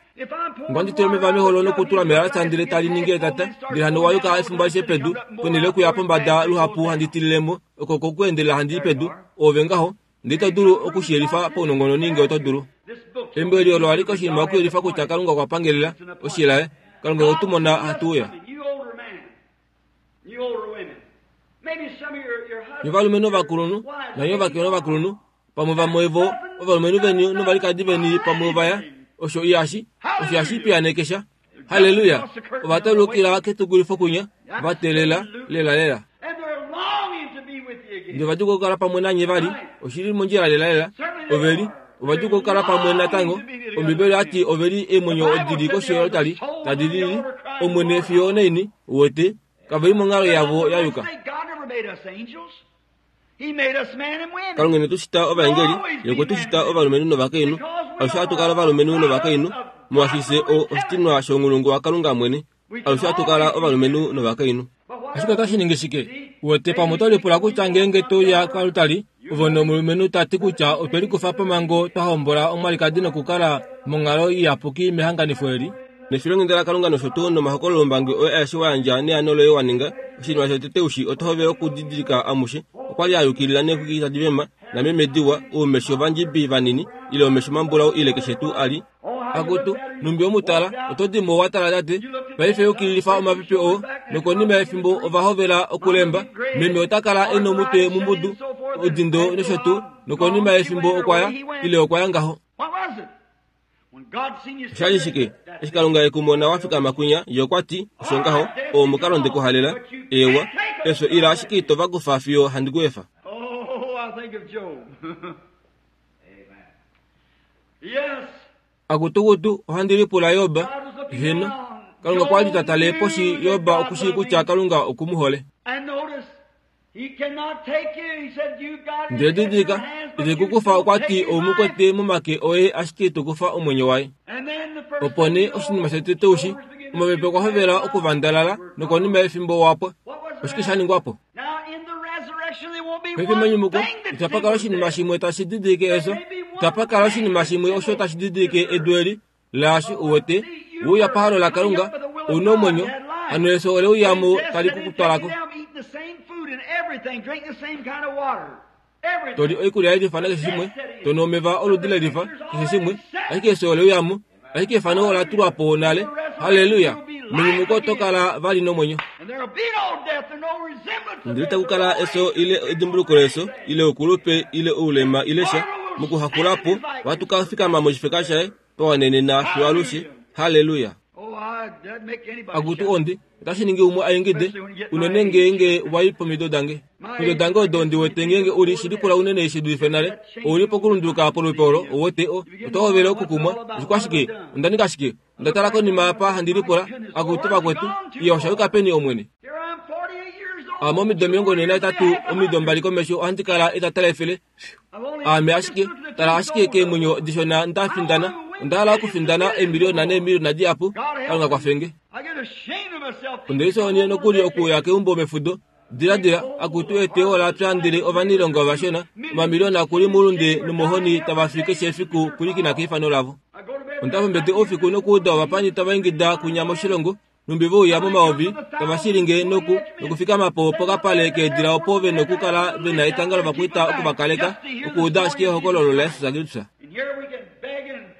Nge ohandi tula omeva meholo nokutula melalasa ndele tali ningi etata, ndele hano wa yuka efimbo alishe pedu, ponhele yokuya pombada luhapu handi tilile mo, oko kokuendelela handi i pedu, oove ngaho, Ndele ito dulu oku shi yelifa paunongononi nge oto dulu. Embo eli olo alike oshinima okuyelifa kutya Kalunga okwa pangelela oshilaye. Kalunga okwe tu mona hatu uya. Nye ovalumenhu ovakulunhu, nanye ovakainhu ovakulunhu, pamwe vamwe vo ovalumenhu veni novalikadi veni pamwe ova ya. Osho ihashi, osho ihashi piyaneke sha. Halleluya! Ova taulukila ketukulifo kunya, va teelela lelalela. Ndele ova djuka okukala pamwe nanye vali, oshi li mondjila lelalela. Ove li, ova djuka okukala pamwe natango. Ombibeli oya ti ove li eemwenyo odi li koshi yolotali, tadi lili, Omwene fiyo onaini, uwete, kave li monghalo yavo ya yuka. Kalunga ine tu shita ovaengeli, Ye okwe tu shita ovalumenhu novakainhu. Alushe ohatu kala ovalumenhu novakainhu, molwaashi fye o, oshitinwa shounghulungu waKalunga mwene. Alushe ohatu kala ovalumenhu novakainhu. Ashike otashi ningi shike? Uwete, pamwe oto lipula kutya ngeenge to uya koaltari, ove nomulumenhu ta ti kutya otwe likufa pomhango twa hombola omwalikadi nokukala monghalo iyapuki mehanganifo eli. Nefilonghenda laKalunga nosho tuu nomahokololombangi oye aeshe wa yandja neano loye wa ninga, oshinima shotete u shii oto hovele okudidilika amushe. Okwa li a yukilila neexwiki tadi vema, nameme diwa, oumesho vandjibi vanini, ile omesho mambulau ile keshe tuu a li. Akutu, nhumbi omutala, oto di mo wa tala tate. Paife yukililifa omapipi oo, nokonima yefimbo ova hovela okulemba. Meme ota kala e nomutwe mumbudu, odindo nosho tuu, nokonima yefimbo okwa ya, ile okwa ya ngaho. Osha li shike? Eshi Kalunga e ku mona wa fikama kwinya, Ye okwa ti, Osho ngaho, oo omukalo nde ku halela. Eewa, efyo ila ashike ito va kufa fiyo handi ku efa. Akutukutu, ohandi lipula Job. Heeno, Kalunga okwa li ta tale poshi Job oku shii kutya Kalunga oku mu hole. Ndele didilika, ite ku kufa okwa ti ou mu kwete momake oye ashike ito kufa omwenyo waye. Opo nee oshinima shotete ushi, omapepe okwa hovela okuvandalala nokonima yefimbo wa pwa. Oshike sha ningwa po? Paife menyumuko itapa kala oshinima shimwe tashi didilike efyo. Itapa kala oshinima shimwe osho tashi didilike edu eli laashi u wete, uya pahalo laKalunga, ou na omwenyo, hano efyo ole uya mo tali ku kutwala ko. To li oikulya yelifa nakeshe shimwe, to nu omeva oludi lelifa, keshe shimwe, ashike efyo ole uya mo. Ashike efano ola tulwa po nale. Halleluya! Menyumuko oto kala vali nomwenyo. Ndele taku kala efyo ile edimbuluko lefyo, ile oukulupe, ile oulema, ile sha. Mokuhakula po, ohatu ka fikama moshifeka shaye, twa wanenena fiyo alushe. Halleluya! Akutu ondi, otashi ningi umwe a ingide, unene ngeenge wa i pomido dange. Omido dange odo ndi wete ngeenge u li shili kula unene shi dulife nale. Ou li pokulunduluka polupe olo, ou wete, o, oto hovele okukumwa. Oshikwashike? Onda ninga shike? Onda tala konima apa handi lipula, Akutu vakwetu, iya osha yuka peni Omwene? Ame omido 48, omido mbali komesho ohandi kala etata lefele. Aame ashike, tala ashike keemwenyo dishona nda findana. Onda hala okufindana eemiliona neemiliona dihapu. Kalunga kwafenge. Onde lisoonie nokuli okuuya keumbo mefudo. Diladila, akutu eteyo ola pya ndele ovanailonga ovashona, omamiliona oku li moulunde nomohoni tava fi keshe efiku pwilikina keifano lavo. Onda fombete oufiku nokuuda ovapani tava ingida kwinya moshilongo, nhumbi ve uya momayovi tava shilinge noku nokufikama po pokapale keedila opo ve nokukala ve na etanga lovakwaita oku va kaleka, okuuda ashike ehokololo laJesus Kristus.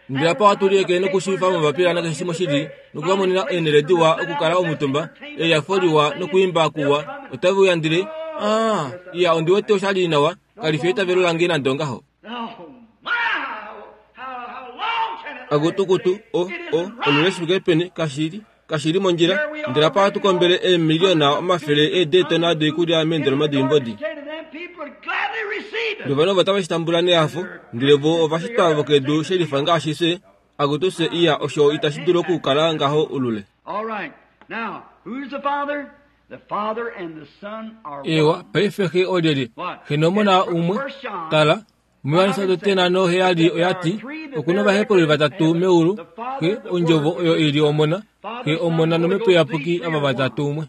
Ndele apa ohatu lieke nokushiivifa momapila nakeshe shimwe shili, noku va monena eenhele diwa okukala omutumba, eliyafo liwa nokwiimba kuwa, otave uya ndele, Ah, iya, ondi wete osha li nawa, kali fi eitavelo lange nande ongaho. Akutukutu, o, o, olule shi fike peni, kashi li, kashi li mondjila. Ndele apa ohatu kombele eemiliona omafele eedeetona doikulya meendoloma doimbodi. Novanhu ovo otave shi tambula nehafo, ndele vo ovashitwa vokedu shelifa ngaashi fye. Akutu fye, iya, osho itashi dulu okukala ngaho ulule. Eewa, paife Xe olyelye? Xe nOmona umwe. Tala, muJohannes 5:7 oya ti, Oku novahepululi vatatu meulu, Xe, Ondjovo oyo i li Omona, Xe, Omona nOmhepo Iyapuki, ava vatatu umwe.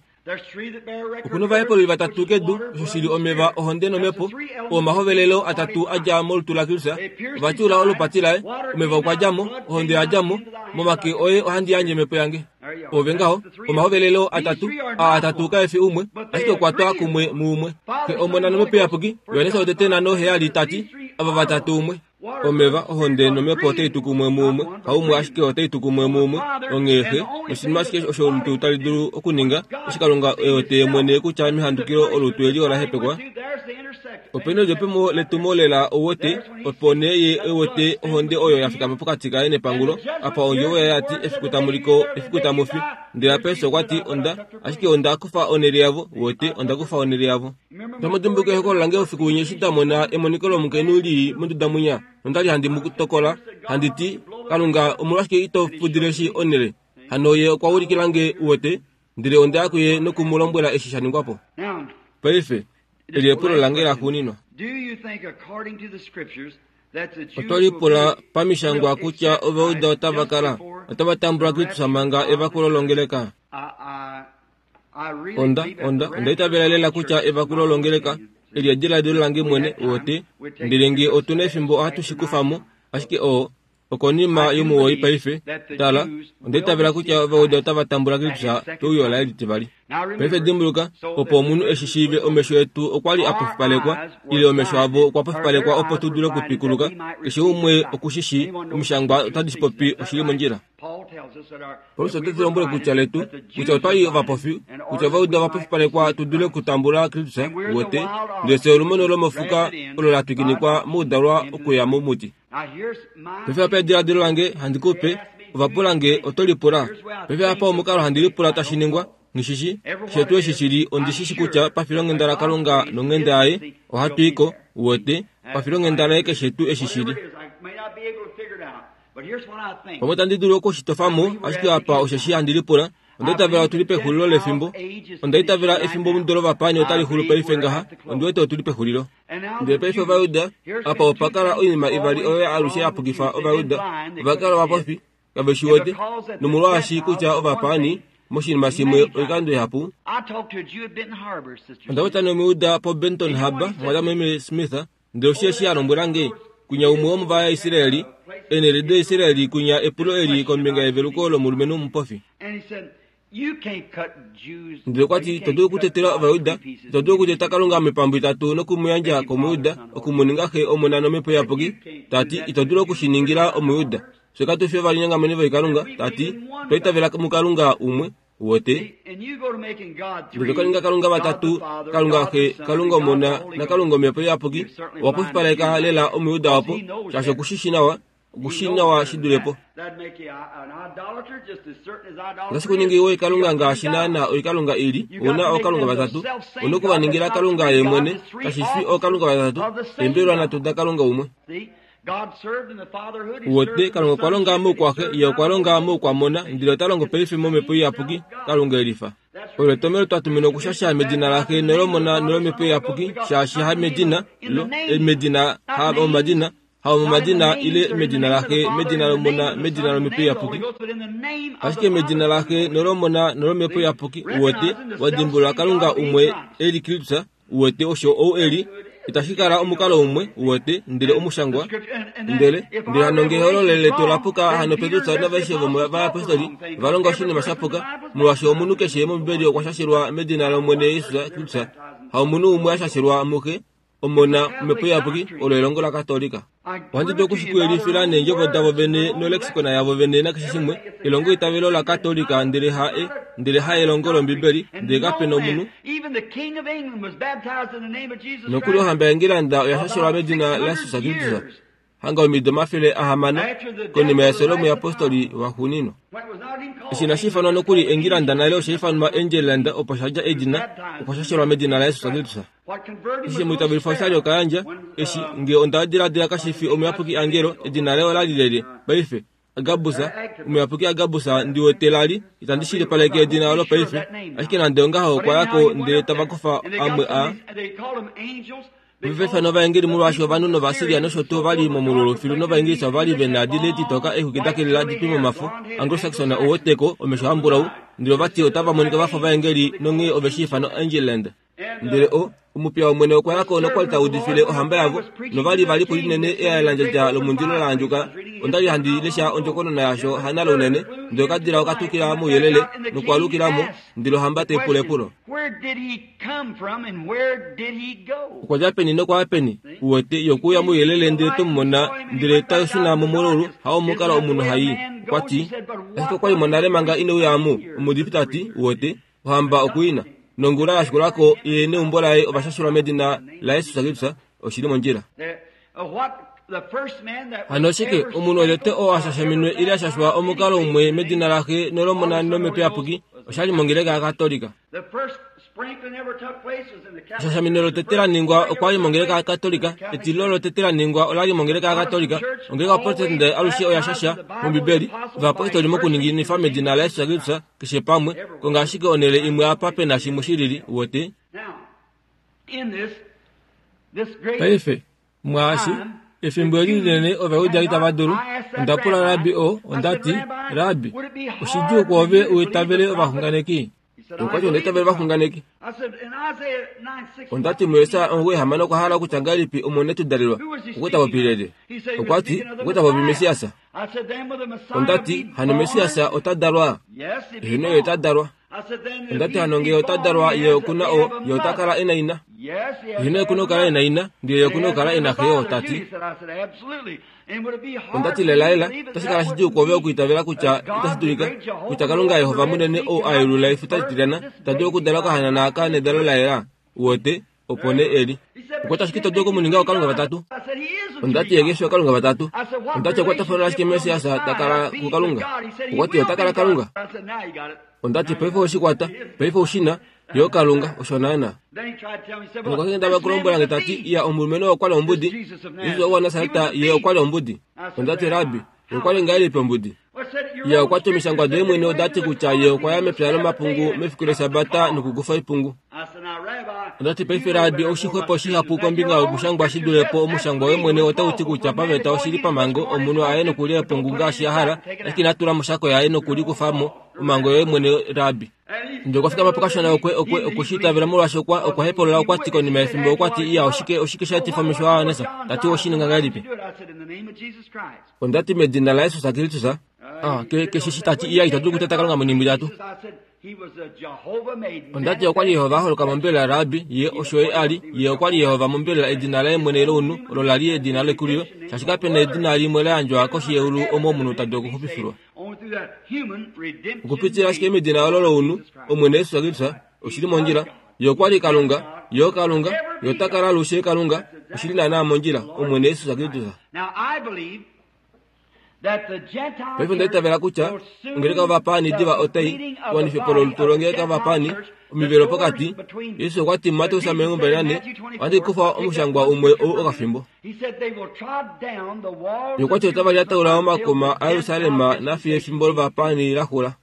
Oku novahepululi vatatu kedu, osho shi li omeva, ohonde nOmhepo, oo omahovelelo atatu a dja molutu laKristus, ova tyuula olupati laye, omeva okwa dja mo, ohonde oya dja mo, momake oye ohandi yandje omhepo yange. Ove ngaho, omahovelelo atatu, aa atatu kae fi umwe, ashike okwa twa kumwe muumwe. Xe, Omona nOmhepo Iyapuki, Johannes wotete nhano heyali ta ti, ava vatatu umwe. Omeva, ohonde nOmhepo otai tu kumwe muumwe, haumwe ashike otai tu kumwe muumwe. Onghee Xe, noshinima ashike osho olutu tali dulu okuninga, eshi Kalunga e wete Ye mwene kutya mehandukilo olutu eli ola hepekwa, Ope nedjopemo letumo lela ou wete, opo nee ye e wete ohonde oyo ya fikama pokati kaye nepangulo, apa ondjovo yaye ya ti, Efiku tamu li ko, efiku tamu fi. Ndele apa Jesus okwa ti, Onda, ashike onda kufa onhele yavo, uwete, onda kufa onhele yavo. Otamu dimbuluka ehokololo lange oufiku winya eshi nda mona emoniko lomukainhu li monduda mwinya, nonda li handi mu tokola, handi ti, Kalunga, omolwashike ito fudile shi onhele? Hano ye okwa ulikila nge, uwete, ndele onda ya kuye noku mu lombwela eshi sha ningwa po. Paife, Eli epulo lange laxuuninwa. Oto lipula pamishangwa kutya Ovauda otava kala otava tambula Kristus manga evakulo longeleka? Onda, onda, onda itavela lela kutya evakulo longeleka eli ediladilo lange mwene, uwete, ndele nge otu na efimbo ohatu shi kufa mo, ashike o, Okonima yomuwoi paife, tala, onda itavela kutya Ovauda otava tambula Kristus peuyo laye litivali. Paife dimbuluka, opo omunhu e shi shiive omesho etu okwa li a pofipalekwa, ile omesho avo okwa pofipalekwa opo tu dule okutwikuluka. Keshe umwe oku shi shii, Omishangwa otadi shi popi oshili mondjila. Paulus ote tu lombwele kutya letu, kutya otwa li ovapofi, kutya Ovauda ova pofipalekwa tu dule okutambula Kristus, uwete, ndele fye olumono lomofuka olo la twikinikwa moudalwa okuya momuti. Paife apa ediladilo lange handi ku pe, ova pula nge, oto lipula? Paife apa omukalo handi lipula tashi ningwa, nghi shi shi. Keshe tuu eshi shi li, ondi shi shi kutya pafilonghenda laKalunga nonghenda yaye, ohatu i ko, uwete, pafilonghenda laye keshe tuu eshi shi li. Pamwe itandi dulu oku shi tofa mo, ashike apa osheshi handi lipula, Onda itavela otu li pexulilo lefimbo. Onda itavela efimbomudo lovapaani otali xulu paife ngaha. Ondi wete otu li pexulilo. Ndele paife Ovajuda, apa opa kala oinima ivali oyo alushe ya pukifa Ovajuda. Ova kala ovapofi, kave shi wete, nomolwaashi kutya ovapaani, moshinima shimwe oikando ihapu. Onda popya nOmujuda poBenton Harbor, mwatameme Smith, ndele osho eshi a lombwela nge. Kwinya umwe womovaisraeli, eenhele daIsraeli kwinya epulo eli kombinga yeveluko lomulumenhu omupofi. Ndele okwa ti, Ito dulu okutetela Ovajuda, ito dulu okuteta Kalunga moipambu itatu noku mu yandja kOmujuda, oku mu ninga Xe, Omona nOmhepo Iyapuki. Ta ti, Ito dulu oku shi ningila Omujuda. Fye katu fi ovalinyongameni voikalunga, ta ti, otwa itavela muKalunga umwe, Uwete? Ndele to ka ninga Kalunga vatatu, Kalunga Xe, Kalunga Omona naKalunga Omhepo Iyapuki. Owa pofipaleka lela Omujuda opo, shaashi oku shi shii nawa. Oku shii nawa shi dule po. Otashi ku ningi oikalunga ngaashi naana oikalunga i li. Ou na ookalunga vatatu. Ou na oku va ningila Kalunga ye mwene, kashi fi ookalunga vatatu, eembelwa nhatu daKalunga umwe. Uwete, Kalunga okwa longa moukwaxe, Ye okwa longa moukwamona, ndele ota longo paife mOmhepo Iyapuki, Kalunga e lifa. Olo etomhelo twa tuminwa okushasha medina laXe nolOmona nolOmhepo Iyapuki, shaashi ha medina, lo, medina, ha omadina, ha omomadina ile medina laXe, medina lOmona, medina lOmhepo Iyapuki. Ashike medina laXe nolOmona nolOmhepo Iyapuki, uwete, wa dimbulula Kalunga umwe e li Kristus, Uwete osho ou e li? Itashi kala omukalo umwe, uwete, ndele omushangwa. Ndele, ndele hano nge ehololo letu ola puka, hano Petrus navaishe vomovayapostoli va longa oshinima sha puka, molwaashi omunhu keshe mOmbibeli okwa shashelwa medina lOmwene Jesus Kristus, haomunhu umwe a shashelwa muXe, Omona, Omhepo Iyapuki, olo elongo laKatolika. Ohandi dulu oku shi ku yelifila neendjovo davo vene nolexicon yavo vene nakeshe shimwe, elongoitavelo laKatolika ndele ha e, ndele ha elongo lOmbibeli, ndele kape nomunhu. Nokuli ohamba yaEngilanda oya shashelwa medina laJesus Kristus hanga omido 600 konima yefyo lomuyapostoli waxuuninwa. Eshi inashi ifanwa nokuli Engilanda nale osha ifanwa Angeland opo sha dja edina, okwa shashelwa medina laJesus Kristus. Eshi omwiitavelifa oshali okayandja, eshi, nge onda diladila kashi fi omuyapuki Angelo, edina laye ola li lelye, paife? Agabus, omuyapuki Agabus, ndi wete la li, itandi shilipaleke edina olo paife. Ashike nande ongaho okwa ya ko ndele tava kufa amwe a. Ove va ifana ovaengeli molwaashi ovanhu nOvasiria nosho tuu ova li momululu filu nOvaingilisa ova li ve na dile ditoka eexwiki da kelela di twe momafo. Anglo-Saxon ou weteko, omesho ambulau, ndele ova ti otava monika va fa ovaengeli nonghee ove shi ifana Angeland. Ndele o, omupiya wOmwene okwa ya ko nokwa li ta udifile ohamba yavo, nova li va li po linene ealandjadja lomundilo la andjuka. Onda li handi lesha ondjokonona yasho hanale unene, ndele okadila oka tukila mouyelele nokwaalukila mo, ndele ohamba tai pula epulo. Okwa dja peni nokwa ya peni? Uwete, ye okwe uya mouyelele ndele twe mu mona, ndele ta shuna momulaulu, hao omukalo omunhu ha i. Okwa ti, Ashike okwa li mo nale manga ine uya omu, omuudifi ta ti, uwete, Ohamba oku i na. Nongula ya shikula ko, ye neumbo laye ova shashelwa medina laJesus Kristus. Oshi li mondjila. Hano oshike omunhu wotete oo a shashaminwe ile a shashwa omukalo umwe medina laXe nolOmona nOmhepo Iyapuki osha li mongeleka yaKatolika. Eshashamino lotete la ningwa okwa li mongeleka yaKatolika. Etilo lotete la ningwa ola li mongeleka yaKatolika. Ongeleka yaProtestante alushe oya shasha mOmbibeli ovayapostoli mokuninginifa medina laJesus Kristus keshe pamwe, konga ashike onhele imwe apa pe na shimwe shilili, uwete. Paife, mwaashi, efimbo eli linene Ovajuda itava dulu. Onda pula rabbi oo, onda ti, Rabbi, oshidjuu kwoove u itavele ovaxunganeki? Okwa ti, Onda itavela ovaxunganeki. Onda ti, MuJesaja 96 okwa hala okutya ngahelipi Omwene tu dalelwa? Okwe ta popi lyelye? Okwa ti, Okwe ta popi Messias. Onda ti, Hano Messias ota dalwa? Heeno, ye ota dalwa. Onda ti, Hano nge ota dalwa, ye oku na o, ye ota kala e na ina? Heeno, ye oku na okukala e na ina, ndele ye oku na okukala e na xe yo, ta ti. Onda ti, Lelalela, otashi kala shidjuu kwoove okwiitavela kutya itashi dulika, kutya Kalunga Yehova munene ou a yelula efuta litilyana, ta dulu okudala okahanana aka nedalo la yela. Uwete? Opo nee e li. Okwa ti ashike ito dulu oku mu ninga ookalunga vatatu. Onda ti ye ke fi ookalunga vatatu. Onda ti ekwatafano lashike Messias ta kala kuKalunga? Okwa ti ota kala Kalunga. Onda ti paife owe shi kwata, paife ou shi na, ye oKalunga, osho naanaa. Nokwa kendabala okulombwela nge ta ti, Iya, omulumenhu oo okwa li ombudi. Jesus ou waNasareta, ye okwa li ombudi. Onda ti, Rabbi, ye okwa li ngahelipi ombudi? Ye okwa ti omishangwa doye mwene oda ti kutya ye okwa ya mepya lomapungu mefiku lEshabata nokukufa oipungu. Onda ti, Paife, Rabi, ou shii xwepo shihapu kombinga yomushangwa shi dule po omushangwa woye mwene otau ti kutya paveta oshi li pamhango omunhu a ye nokulya epungu ngaashi a hala, ashike ina tula moshako yaye noku li kufa mo, omhango yoye mwene, Rabi. Ndele okwa fikama po kashona okwe, okwe, okwe shi itavela molwaashi okwa, okwa hepolola okwa ti konima yefimbo okwa ti, Iya, oshike, oshike sha etifa omesho aJohannes? Ta ti, Oshi ninga ngahelipi? Onda ti, Medina laJesus Kristus. Ah, ke, keshe eshi ta ti, Iya, ito dulu okuteta Kalunga moinima itatu. Onda ti okwa li Jehova a holoka mombelela Rabi, ye osho ye a li. Ye okwa li Jehova mombelela, edina laye mwene lounhu, olo la li edina lekulilo, shaashi kape na edina limwe la yandjwa koshi yeulu omo omunhu ta dulu okuxupifilwa. Okupitila ashike medina olo lounhu, Omwene Jesus Kristus, oshi li mondjila. Ye okwa li Kalunga, Ye oKalunga, Ye ota kala alushe Kalunga, oshi li naanaa mondjila, Omwene Jesus Kristus. Paife onda itavela kutya ongeleka yovapaani diva otai wanife po lolutu longeleka yovapaani omivelo pokati. Jesus okwa ti muMateus 24, Ohandi kufa omushangwa umwe ou okafimbo. Ye okwa ti otava lyataula omakuma aJerusalem nafiyo efimbo lovapaani la xula.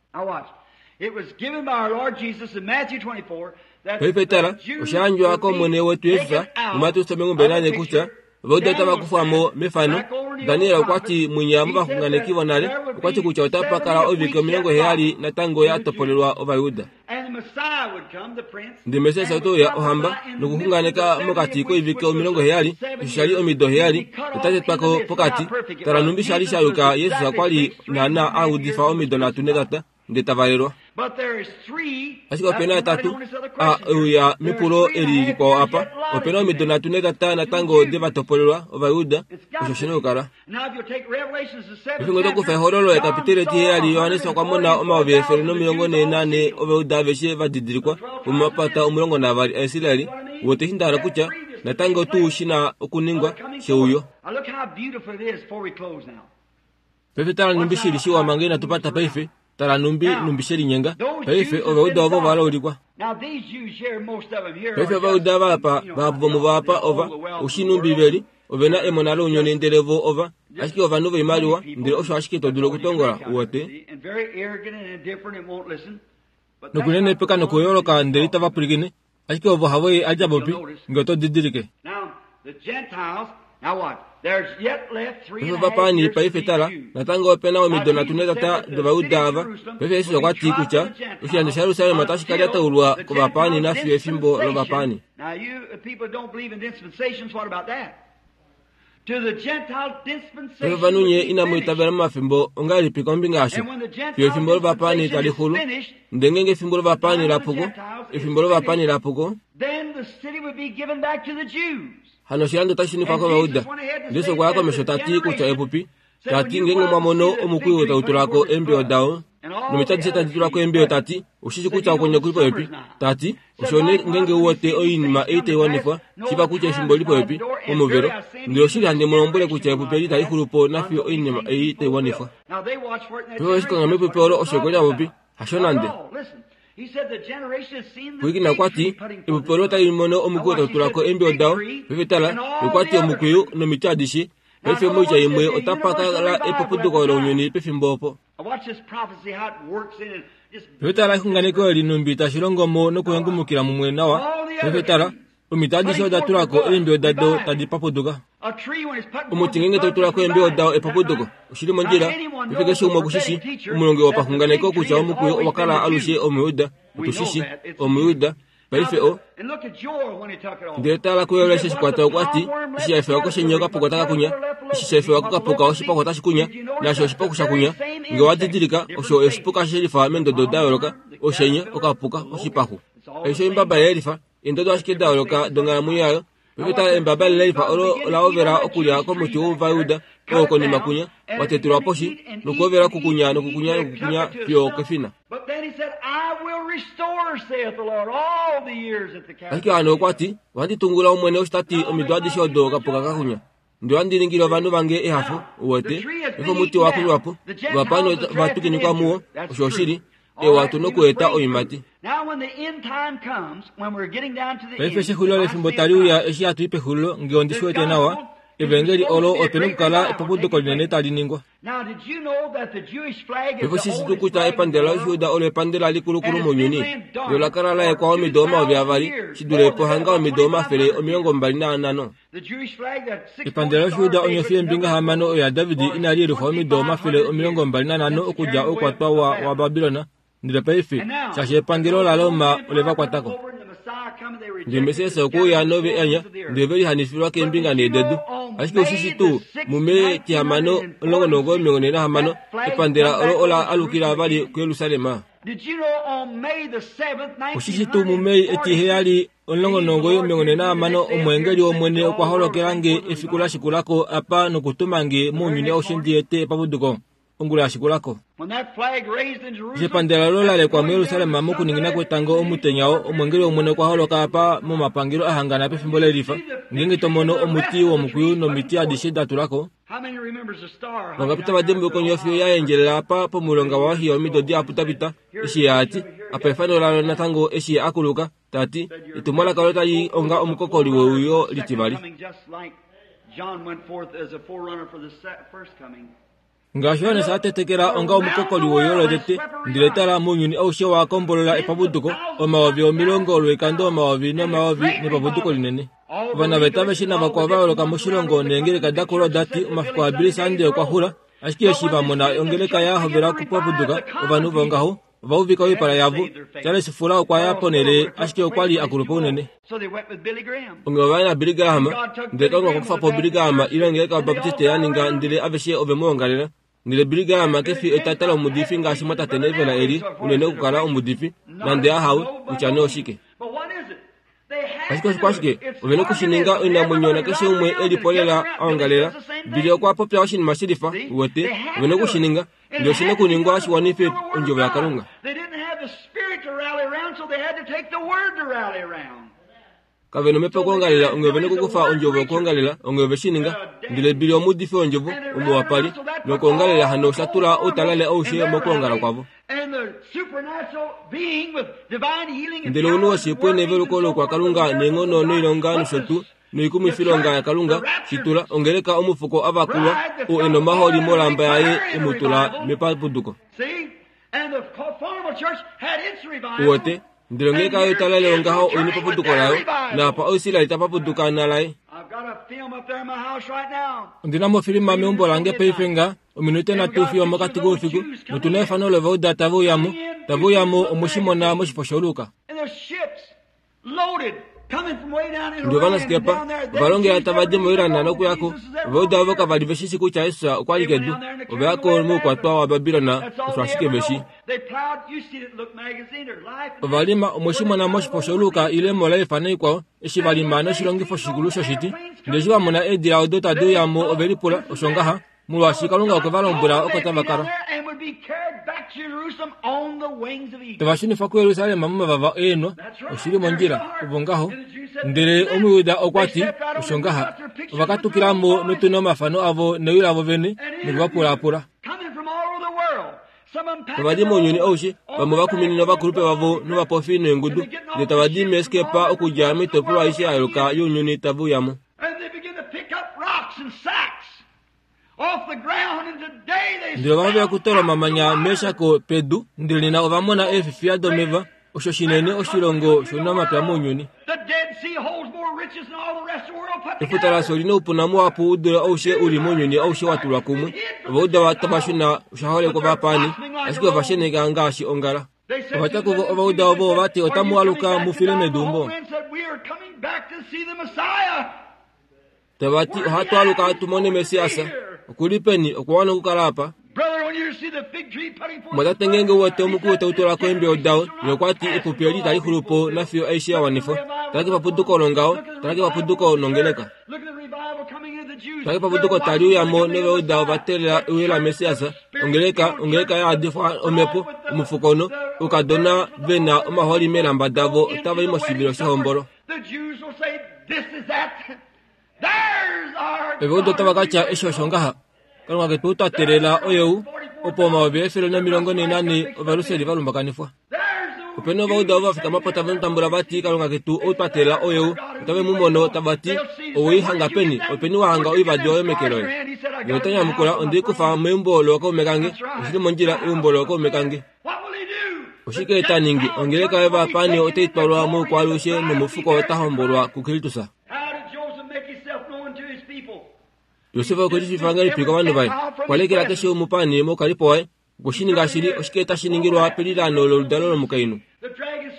Paife tala, osha yandjwa kOmwene wetu Jesus muMateus 24 kutya Ovajuda otava kufwa mo mefano. Daniel okwa ti mwinya movaxunganeki vonale, okwa ti kutya otapa kala oivike 70 natango ya topolelwa Ovajuda. Ndele Messias ote uya ohamba nokuxunganeka mokati koivike 70, osho sha li omido heyali, ota tetwa ko pokati. Tala nhumbi sha li sha yuka Jesus okwa li naanaa a udifa omido nhatu netata. ndele ta valelwa. Ashike ope na yatatu a uya mepulo eli likwao apa. Ope na omido nhatu netata natango de va topolelwa Ovajuda, osho shi na okukala. Pefimbo oto kufa Ehololo ekapiteli etiheyali, Johannes okwa mona 144,000 Ovajuda aveshe va didilikwa vomomapata 12 aIsrael. Uwete eshi nda hala kutya? Natango tuu shi na okuningwa, sheuyo. Paife tala nhumbi shi li shiwa manga inatu pata paife. Tala nhumbi, nhumbi she linyenga. Paife, Ovauda ovo ova laulikwa. Paife Ovauda ava apa, vahapu vomuvo apa ova, u shii nhumbi ve li, ove na emona lounyuni ndele vo ova, ashike ovanhu voimaliwa, ndele osho ashike to dulu okutongola, uwete. Nokunenepeka nokuyooloka ndele itava pwilikine, Ashike ovo havo ye a dja popi, nge oto didilike. Paife ovapaani, paife tala, natango ope na omido nhatu netata dOvayuda ava. Paife Jesus okwa ti kutya oshilando shaJerusalem otashi ka lyataulwa kovapaani nafiyo efimbo lovapaani. Paife ovanhu nye inamu itavela momafimbo ongahelipi kombinga yasho? Fiyo efimbo lovapaani tali xulu. Ndele ngeenge efimbo lovapaani la puko, efimbo lovapaani la puko, hano oshilando otashi shunifwa kOvayuda. Jesus okwa ya komesho ta ti kutya epupi Ta ti, Ngeenge mwa mono omukwiyu tau tula ko eembiyo dao, nomiti adishe tadi tula ko eembiyo, ta ti, Ou shi shii kutya okwenye oku li popepi? Ta ti, Osho nee ngeenge u wete oinima ei tai wanifwa, shiiva kutya efimbo oli popepi, pomuvelo. Ndele oshili handi mu lombwele kutya epupi eli itali xulu po nafiyo oinima ei tai wanifwa. Paife owe shi konga mepupi olo osho kwali a popi? Hasho nande. Pwilikina okwa ti, Epupi olo otali mono omukwiyu tau tula ko eembiyo dao, paife tala, okwa ti omukwiyu nomiti adishe Paife moitya imwe otapa kala epupuduko lounyuni pefimbo opo. Paife tala exunganeko eli nhumbi tashi longo mo nokuhengumukila mumwe nawa. Paife tala, omiti adishe oda tula ko eembiyo dado tadi papuduka. Omuti ngeenge tau tula ko eembiyo dao epapuduko, oshi li mondjila. Paife keshe umwe oku shi shi, omulongi wopaxunganeko kutya omukwiyu owa kala alushe Omuyuda. Otu shi shi, Omuyuda. Paife o. Ndele tala kuyo eshi shikwata okwa ti, eshi sha efewa koshenye okapuka otaka kunya, eshi sha efewa kokapuka oshipaxu otashi kunya, naasho oshipaxu sha kunya, nge owa didilika, osho oshipuka shelifa meendodo da yooloka, oshenye, okapuka, oshipaxu. Aishe oimbaba yelifa, eendodo ashike da yooloka donghalamwenyo yayo. Paife tala embaba lelifa olo ola hovela okulya komuti wOvayuda, oo konima kunya, wa tetulwa poshi, nokuhovela okukunya nokukunya nokukunya fiyo okefina. Ashike hano okwa ti, Ohandi tungula Omwene osho ta ti omido adishe odo okapuka ka kunya. Ndele ohandi ningile ovanhu vange ehafo, uwete, efa omuti wa kunywa po, ovapaani va twikinikwa muwo, osho oshili, ewa tu nokueta oiimati. Paife eshi exulilo lefimbo tali uya eshi hatu i pexulilo, nge ondi shi wete nawa, Evangeli olo ope nokukala epapuduko linene tali ningwa. Paife oshishi tuu kutya epandela lOshijuda olo epandela likulukulu mounyuni? Lo la kala la yekwa omido 2000, shi dule pohanga omido 2500. Epandela lOshijuda onyofi yeembinga hamano oyo yaDavid inali yelufwa omido 2500 okudja oukwatwa waBabilon, ndele paife shaashi epangelo laRoma ole va kwata ko. Ndele Messias okwe uya nove anya, ndele ve lihanifilwa keembinga nhee dedu. Ashike oshishi tuu, muMei 6 1946, epandela olo ola alukila vali kuJerusalem. Oshishi tuu muMei 7 1946 omweengeli wOmwene okwa holokela nge efiku la shikula ko apa nokutuma nge mounyuni aushe ndi ete epapuduko. Ongula ya shikula ko, eshi epandela olo la lekwa muJerusalem mokuningina kwetango omutenya oo, omweengeli wOmwene okwa holoka apa momapangelo a hangana pefimbo lelifa. Ngeenge to mono omuti womukwiyu nomiti adishe da tula ko, vangapi tava dimbuluka onyofi ya endjelela apa pomulonga waOhio omido dihapu da pita, eshi ye a ti, Apa efano lalo natango eshi ye a kuluka, ta ti, Etumwalaka olo tali onga omukokoli weuyo litivali. Ngaashi Johannes a tetekela onga omukokoli weuyo lotete, ndele tala, mounyuni aushe wa kombolola epapuduko, 10,000 lwoikando omayovi nomayovi nepapuduko linene. Ovanaveta aveshe navakwao va yooloka moshilongo neengeleka da kula oda ti omafiku aBilly Sunday okwa xula, ashike eshi va mona ongeleka ya hovela okupapuduka, ovanhu vongaho ova uvika oipala yavo. Charles Fuller okwa ya ponhele, ashike okwa li a kulupa unene. Onghee ova ya naBilly Graham, ndele Kalunga okwa kufa po Billy Graham ile ongeleka yObaptiste ya ninga ndele aveshe ove mu ongalela. Ndele Billy Graham ke fi etata lomuudifi ngaashi mwatate Neville e li unene okukala omuudifi, nande ahawe, kutya nee oshike. Ashike oshikwashike ove na oku shi ninga oinamwenyo nakeshe umwe e li po lela a ongalela. Billy okwa popya oshinima shilifa, uwete, ove na oku shi ninga. Ndele oshi na okuningwa shi wanife ondjovo yaKalunga. Kave na omhepo yokuongalela, onghee ove na okukufa ondjovo yokuongalela, onghee ove shi ninga. Ndele Billy omuudifi wondjovo, omuwapali, nokuongalela hano osha tula outalale aushe mokuongala kwavo. Ndele ounhu woshipwe neveluko loukwakalunga neenghono noilonga nosho tuu, noikumwifilonga yaKalunga, shi tula, ongeleka omufuko a vakulwa, oo e nomahooli molamba yaye e mu tula mepapuduko. Uwete? Ndele ongeleka yoitalale yongaho oi nepapuduko layo, naapa Oisrael ta papuduka nalaye. Ondi na mofilima meumbo lange paife nga ominute nhatu fiyo omokati koufiku, notu na efano lovauda tave uya mo, tave uya mo, omwe shi mona moshifo shoLuka. Ndele ovanaskepa ova longela tava di moIran nokuya ko. Ovajuda ovo kava li ve shi shii kutya Jesus okwa li kedu. Ova ya ko moukwatwa waBabilon, osho ashike ve shii. Ova lima, omwe shi mona moshifo shoLuka ile moLife naikwao, eshi va lima noshilongifo shikulu shoshiti. Ndele eshi va mona eedila odo tadi uya mo, ove lipula, Osho ngaha? Molwaashi Kalunga okwe va lombwela oko tava kala. Tava shunifa kuJerusalem momavava eenwa, oshi li mondjila, ovo ngaho. Ndele Omujuda okwa ti, Osho ngaha. Ova katukila mo notu na omafano avo newi lavo vene, noku va pulaapula. Tava di mounyuni aushe, vamwe va kuminina ovakulupe vavo novapofi neengudu, ndele tava di meeskepa okudja moitopolwa aishe ya yooloka younyuni tave uya mo. Ndele ova hovela okutoola omamanya meeshako pedu, ndele nena ova mona eefifiya domeva, osho shinene oshilongo shounamapya mounyuni. Efuta lasho oli noupuna muhapu u dule aushe u li mounyuni aushe wa tulwa kumwe. Ova uda tava shuna osha holekwa ovapaani, ashike ova sheneka ngaashi ongala. Ova tya kuvo ovauda ovo ova ti, Otamu aluka mu file meduumbo. Tava ti, Ohatu aluka tu mone Messias. Oku li peni? Okwa wana okukala apa. Mwatate ngeenge u wete omukulu tau tula ko eembiyo dao, ye okwa ti, Epupi eli itali xulu po nafiyo aishe ya wanifwa. Tala kepapuduko longaho, tala kepapuduko nongeleka. Tala kepapuduko tali uya mo novauda ova teelela euyo laMessias, ongeleka, ongeleka ya yadifwa omhepo, omufukono, oukadona ve na omahooli meelamba davo otava i moshivilo shehombolo. Ove otava ka tya eshi osho ngaha, Kalunga ketu twa teelela oyou, opo 1444 Ovaluseli va lumbakanifwa. Ope na ovauda ovo va fikama po tave mu tambula va ti, Kalunga ketu ou twa teelela oyou. Otave mu mono, tava ti, Owe i hanga peni? Openi wa hanga oivadi oyo meke loye? Ye ota nyamukula, Onde i kufa meumbo lookaume kange. Oshi li mondjila, eumbo lookaume kange. Oshike ta ningi? Ongeleka yovapaani otai twalwa moukwaalushe nomufuko ota hombolwa kuKristus. Josef okwe lishiifa ngahelipi kovanhu vaye? Okwa lekela keshe omupaani moukalipo waye. Okwe shi ninga shili. Oshike tashi ningilwa pelilaano loludalo lomukainhu?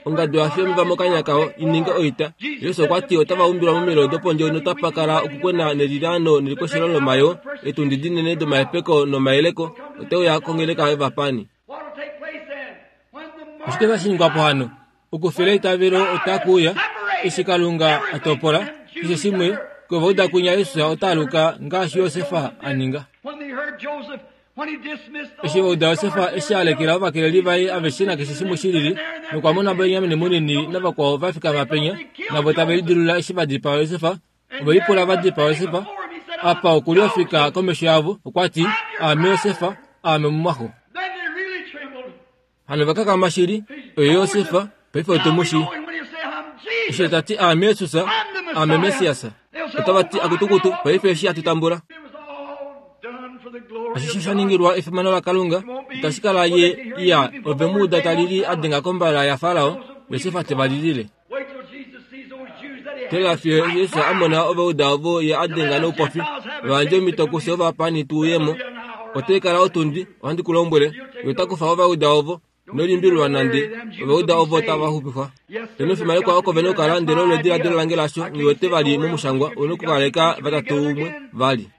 Ongadu ya fiya omeva mokanya kao i ninge oita. Jesus okwa ti otava umbilwa momililo dopondje notapa kala okukwena nelilaano nelikweshelo lomayoo, eetundi dinene domahepeko nomayeleko ote uya kongeleka yovapaani. Oshike tashi ningwa po hano? Okufila eitavelo otaku uya eshi Kalunga a topola keshe shimwe kovauda kwinya Jesus ota aluka ngaashi Josef a ninga. Eshi va uda Josef eshi a lekela ovakeleli vaye aveshe nakeshe shimwe shi lili, nokwa mona Benjamin munini navakwao va fikama penya, navo tave lidilula eshi va dipaa Josef, ove lipula va dipaa Josef. Apa oku li ofika komesho yavo, okwa ti, Aame Josef, aame omumwaxo. Hano va kakama shili, oye Josef, paife otu mu shii. Eshi ta ti aame Jesus, aame Messias. Otava ti akutukutu, paife eshi hatu tambula. Ashishe sha ningilwa efimano laKalunga, itashi kala ye iya ove mu uda ta lili a denga kombala yaFarao, Josef te va lilile. Tela fiyo Jesus a mona ovauda ovo ye a denga noupofi, va yandje omhito kufye ovapaani tu uye mo. Otai kala otundi, ohandi ku lombwele, ye ota kufa ovauda ovo, ino limbililwa nande, ovauda ovo otava xupifwa. Pena ofimanekwa oko ve nokukala ndele olo ediladilo lange lasho, nghi wete vali momushangwa, u nokukaleka vatatu umwe vali.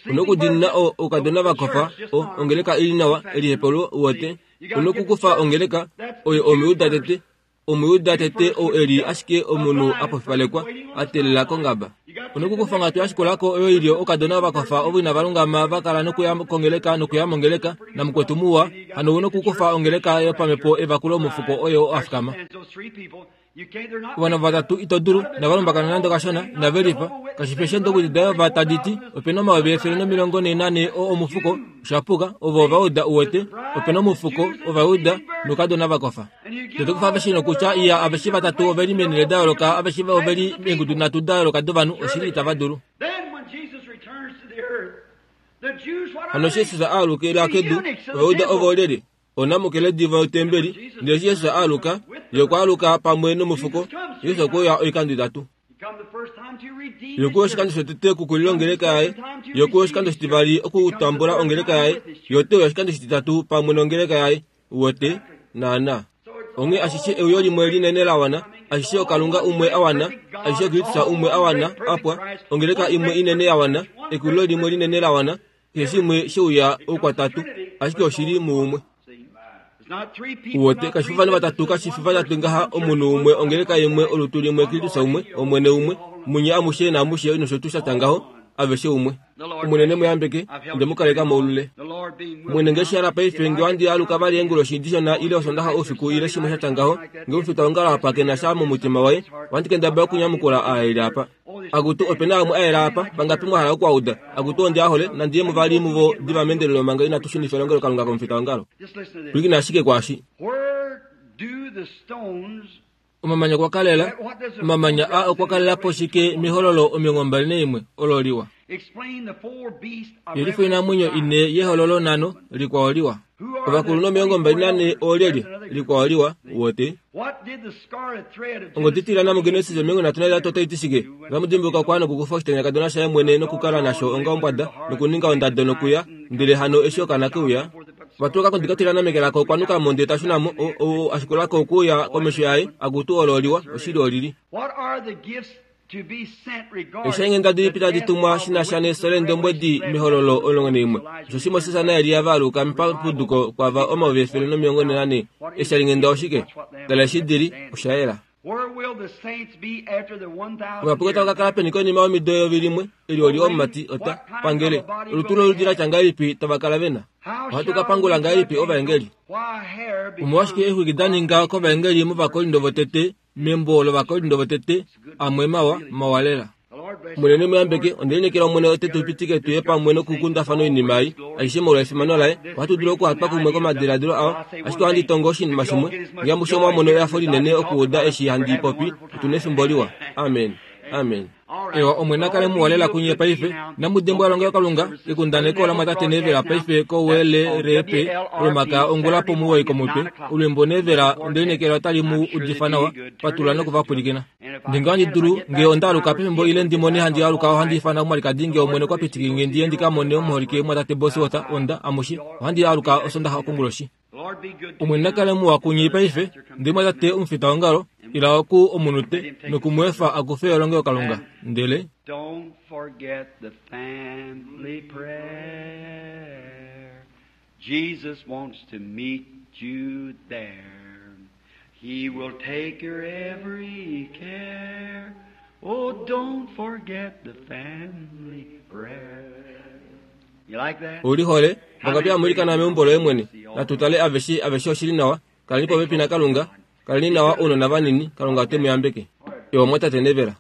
U nokudiinina o, oukadona va kofa, o, ongeleka i li nawa, elihepelo, uwete. U nokukufa ongeleka, oyo Omuyuda tete, Omuyuda tete ou e li ashike omunhu a pofipalekwa, a teelela kongaba. U nokukufa onghatu ya shikula ko oyo i li oukadona va kofa ovo inava lungama va kala nokuya kongeleka nokuya mongeleka, namukwetu muwa, hano u nokukufa ongeleka yopamhepo evakulo omufuko oyo a fikama. Ovanhu vatatu ito dulu, inava lumbakana nande kashona, inave lifa. Kashi fi eshi daYehova tadi ti, ope na 144000 oo omufuko, osha puka, ovo ova uda uwete, ope na omufuko, Ovayuda, noukadona va kofa. Toto kufa aveshe nokutya iya aveshe vatatu ove li meenhele da yooloka, aveshe ove li meengudu nhatu da yooloka dovanhu, oshili itava dulu. Hano eshi Jesus a alukila kedu, Ovayuda ovo olyelye? Onamukeledi votembeli. Ndele eshi Jesus a aluka, ye okwa aluka pamwe nomufuko. Jesus okwe uya oikando itatu. Ye okwe uya oshikando shotete okukulila ongeleka yaye. Ye okwe uya oshikando shitivali okutambula ongeleka yaye. Ye ote uya oshikando shititatu pamwe nongeleka yaye. Uwete? Naana. Onghee ashishe euyo limwe linene la wana, ashishe oKalunga umwe a wana, ashishe Kristus umwe a wana, a pwa, ongeleka imwe inene ya wana, ekulilo limwe linene la wana, keshe shimwe she uya oukwatatu, ashike oshi li muumwe. Uwete, kashi fi ovanhu vatatu, kashi fi vatatu ngaha, omunhu umwe, ongeleka imwe, olutu limwe, Kristus umwe, Omwene umwe, munye amushe naamushe nosho tuu sha tya ngaho, aveshe umwe. Omwene ne mu yambeke, onde mu kaleka moulule. Omwene nge shi hala paife, nge ohandi aluka vali eenguloshi dishona ile Osondaxa oufiku ile shimwe sha tya ngaho, nge omufitaongalo apa ke na sha momutima waye, ohandi kendabala okunyamukula aa e li apa. Akutu, ope na amwe a yela apa, vangapi mwa hala oku a uda? Akutu, ondi a hole, nandi ye muvali muvo diva meendelelo manga inatu shunifa elongelokalunga komufitaongalo. Pwilikina ashike kwaashi. Omamanya okwa kalela, omamanya aa okwa kalela po shike mehololo 21 olo liwa? Yelifa oinamwenyo ine yehololo nhano, likwao liwa. Ovakulunhu 24 oolyelye? Likwao liwa, wote. Ongodi itilana muGenesis 33 otai ti shike? Otamu dimbuluka okwa nokukufa oshitanyakadona shaye mwene nokukala nasho onga ombwada, nokuninga ondado nokuya, ndele hano eshi okaana ke uya, Vatuluka kondika tilana meke lako okwa nuka mo ndele ta shuna mo, o, o, a shikula ko okuuya komesho yaye, akutu olo oliwa, oshili olili. Eeshainghenda dilipi tadi tumwa shi na sha nefyo leendombwedi mehololo 11? Osheshi Moses naElia va aluka papuduko kwava 144. Eeshalinghenda oshike? Tala eshi di li, osha yela. Ovapuka otava ka kala peni konima yomido 1000? Eli oli omumati ota pangele. Olutu loludi la tya ngahelipi tava kala ve na? Ohatu ka pangula ngahelipi ovaengeli? Omolwashike eexwiki da ninga kovaengeli mOvakorindo votete membo lOvakorindo votete amwe mawa, mawa lela? Omwene ne mu yambeke. Onde lineekela Omwene ote tu pitike tu ye pamwe nokukundafana oinima ei aishe molwa efimano laye. Ohatu dulu okuhatwa kumwe komadiladilo ao. Ashike ohandi tongo oshinima shimwe. Nge amushe omwa mono ehafo linene okuuda eshi handi popi, otu nefimbo liwa. Amen. Amen. Ewa, Omwene a kale muwa lela kunye paife. Inamu dimbwa elongelokalunga, ekundaneko lamwatate Neville paife koWLRP, Olomakaya ongula pomuwoi komutwe. Olwiimbo Neville, onde lineekela otali mu udifa nawa. Patulula noku va pwilikina. Nge ohandi dulu, nge onda aluka pefimbo ile ndi mone handi aluka ohandi ifana omwalikadi nge Omwene okwa pitike nge ndi ye ndi ka mone omuholike mwatate Bosworth, onda, amushe, ohandi aluka Osondaxa okonguloshi. Omwene na kale muwa kunye paife, ndele mwatate omufitaongalo, ila oku omunute noku mu efa a kufe elongelokalunga. Ndele. Don't forget the family prayer. Jesus wants to meet you there. He will take your every care. Oh, don't forget the family prayer. You like that? U lihole, vangapi hamu ilikana meumbo loye mwene? Natu tale aveshe, aveshe oshili nawa. Kaleni popepi naKalunga. Kaleni nawa ounona vanini, Kalunga ote mu yambeke. Ewa mwatate Nevera.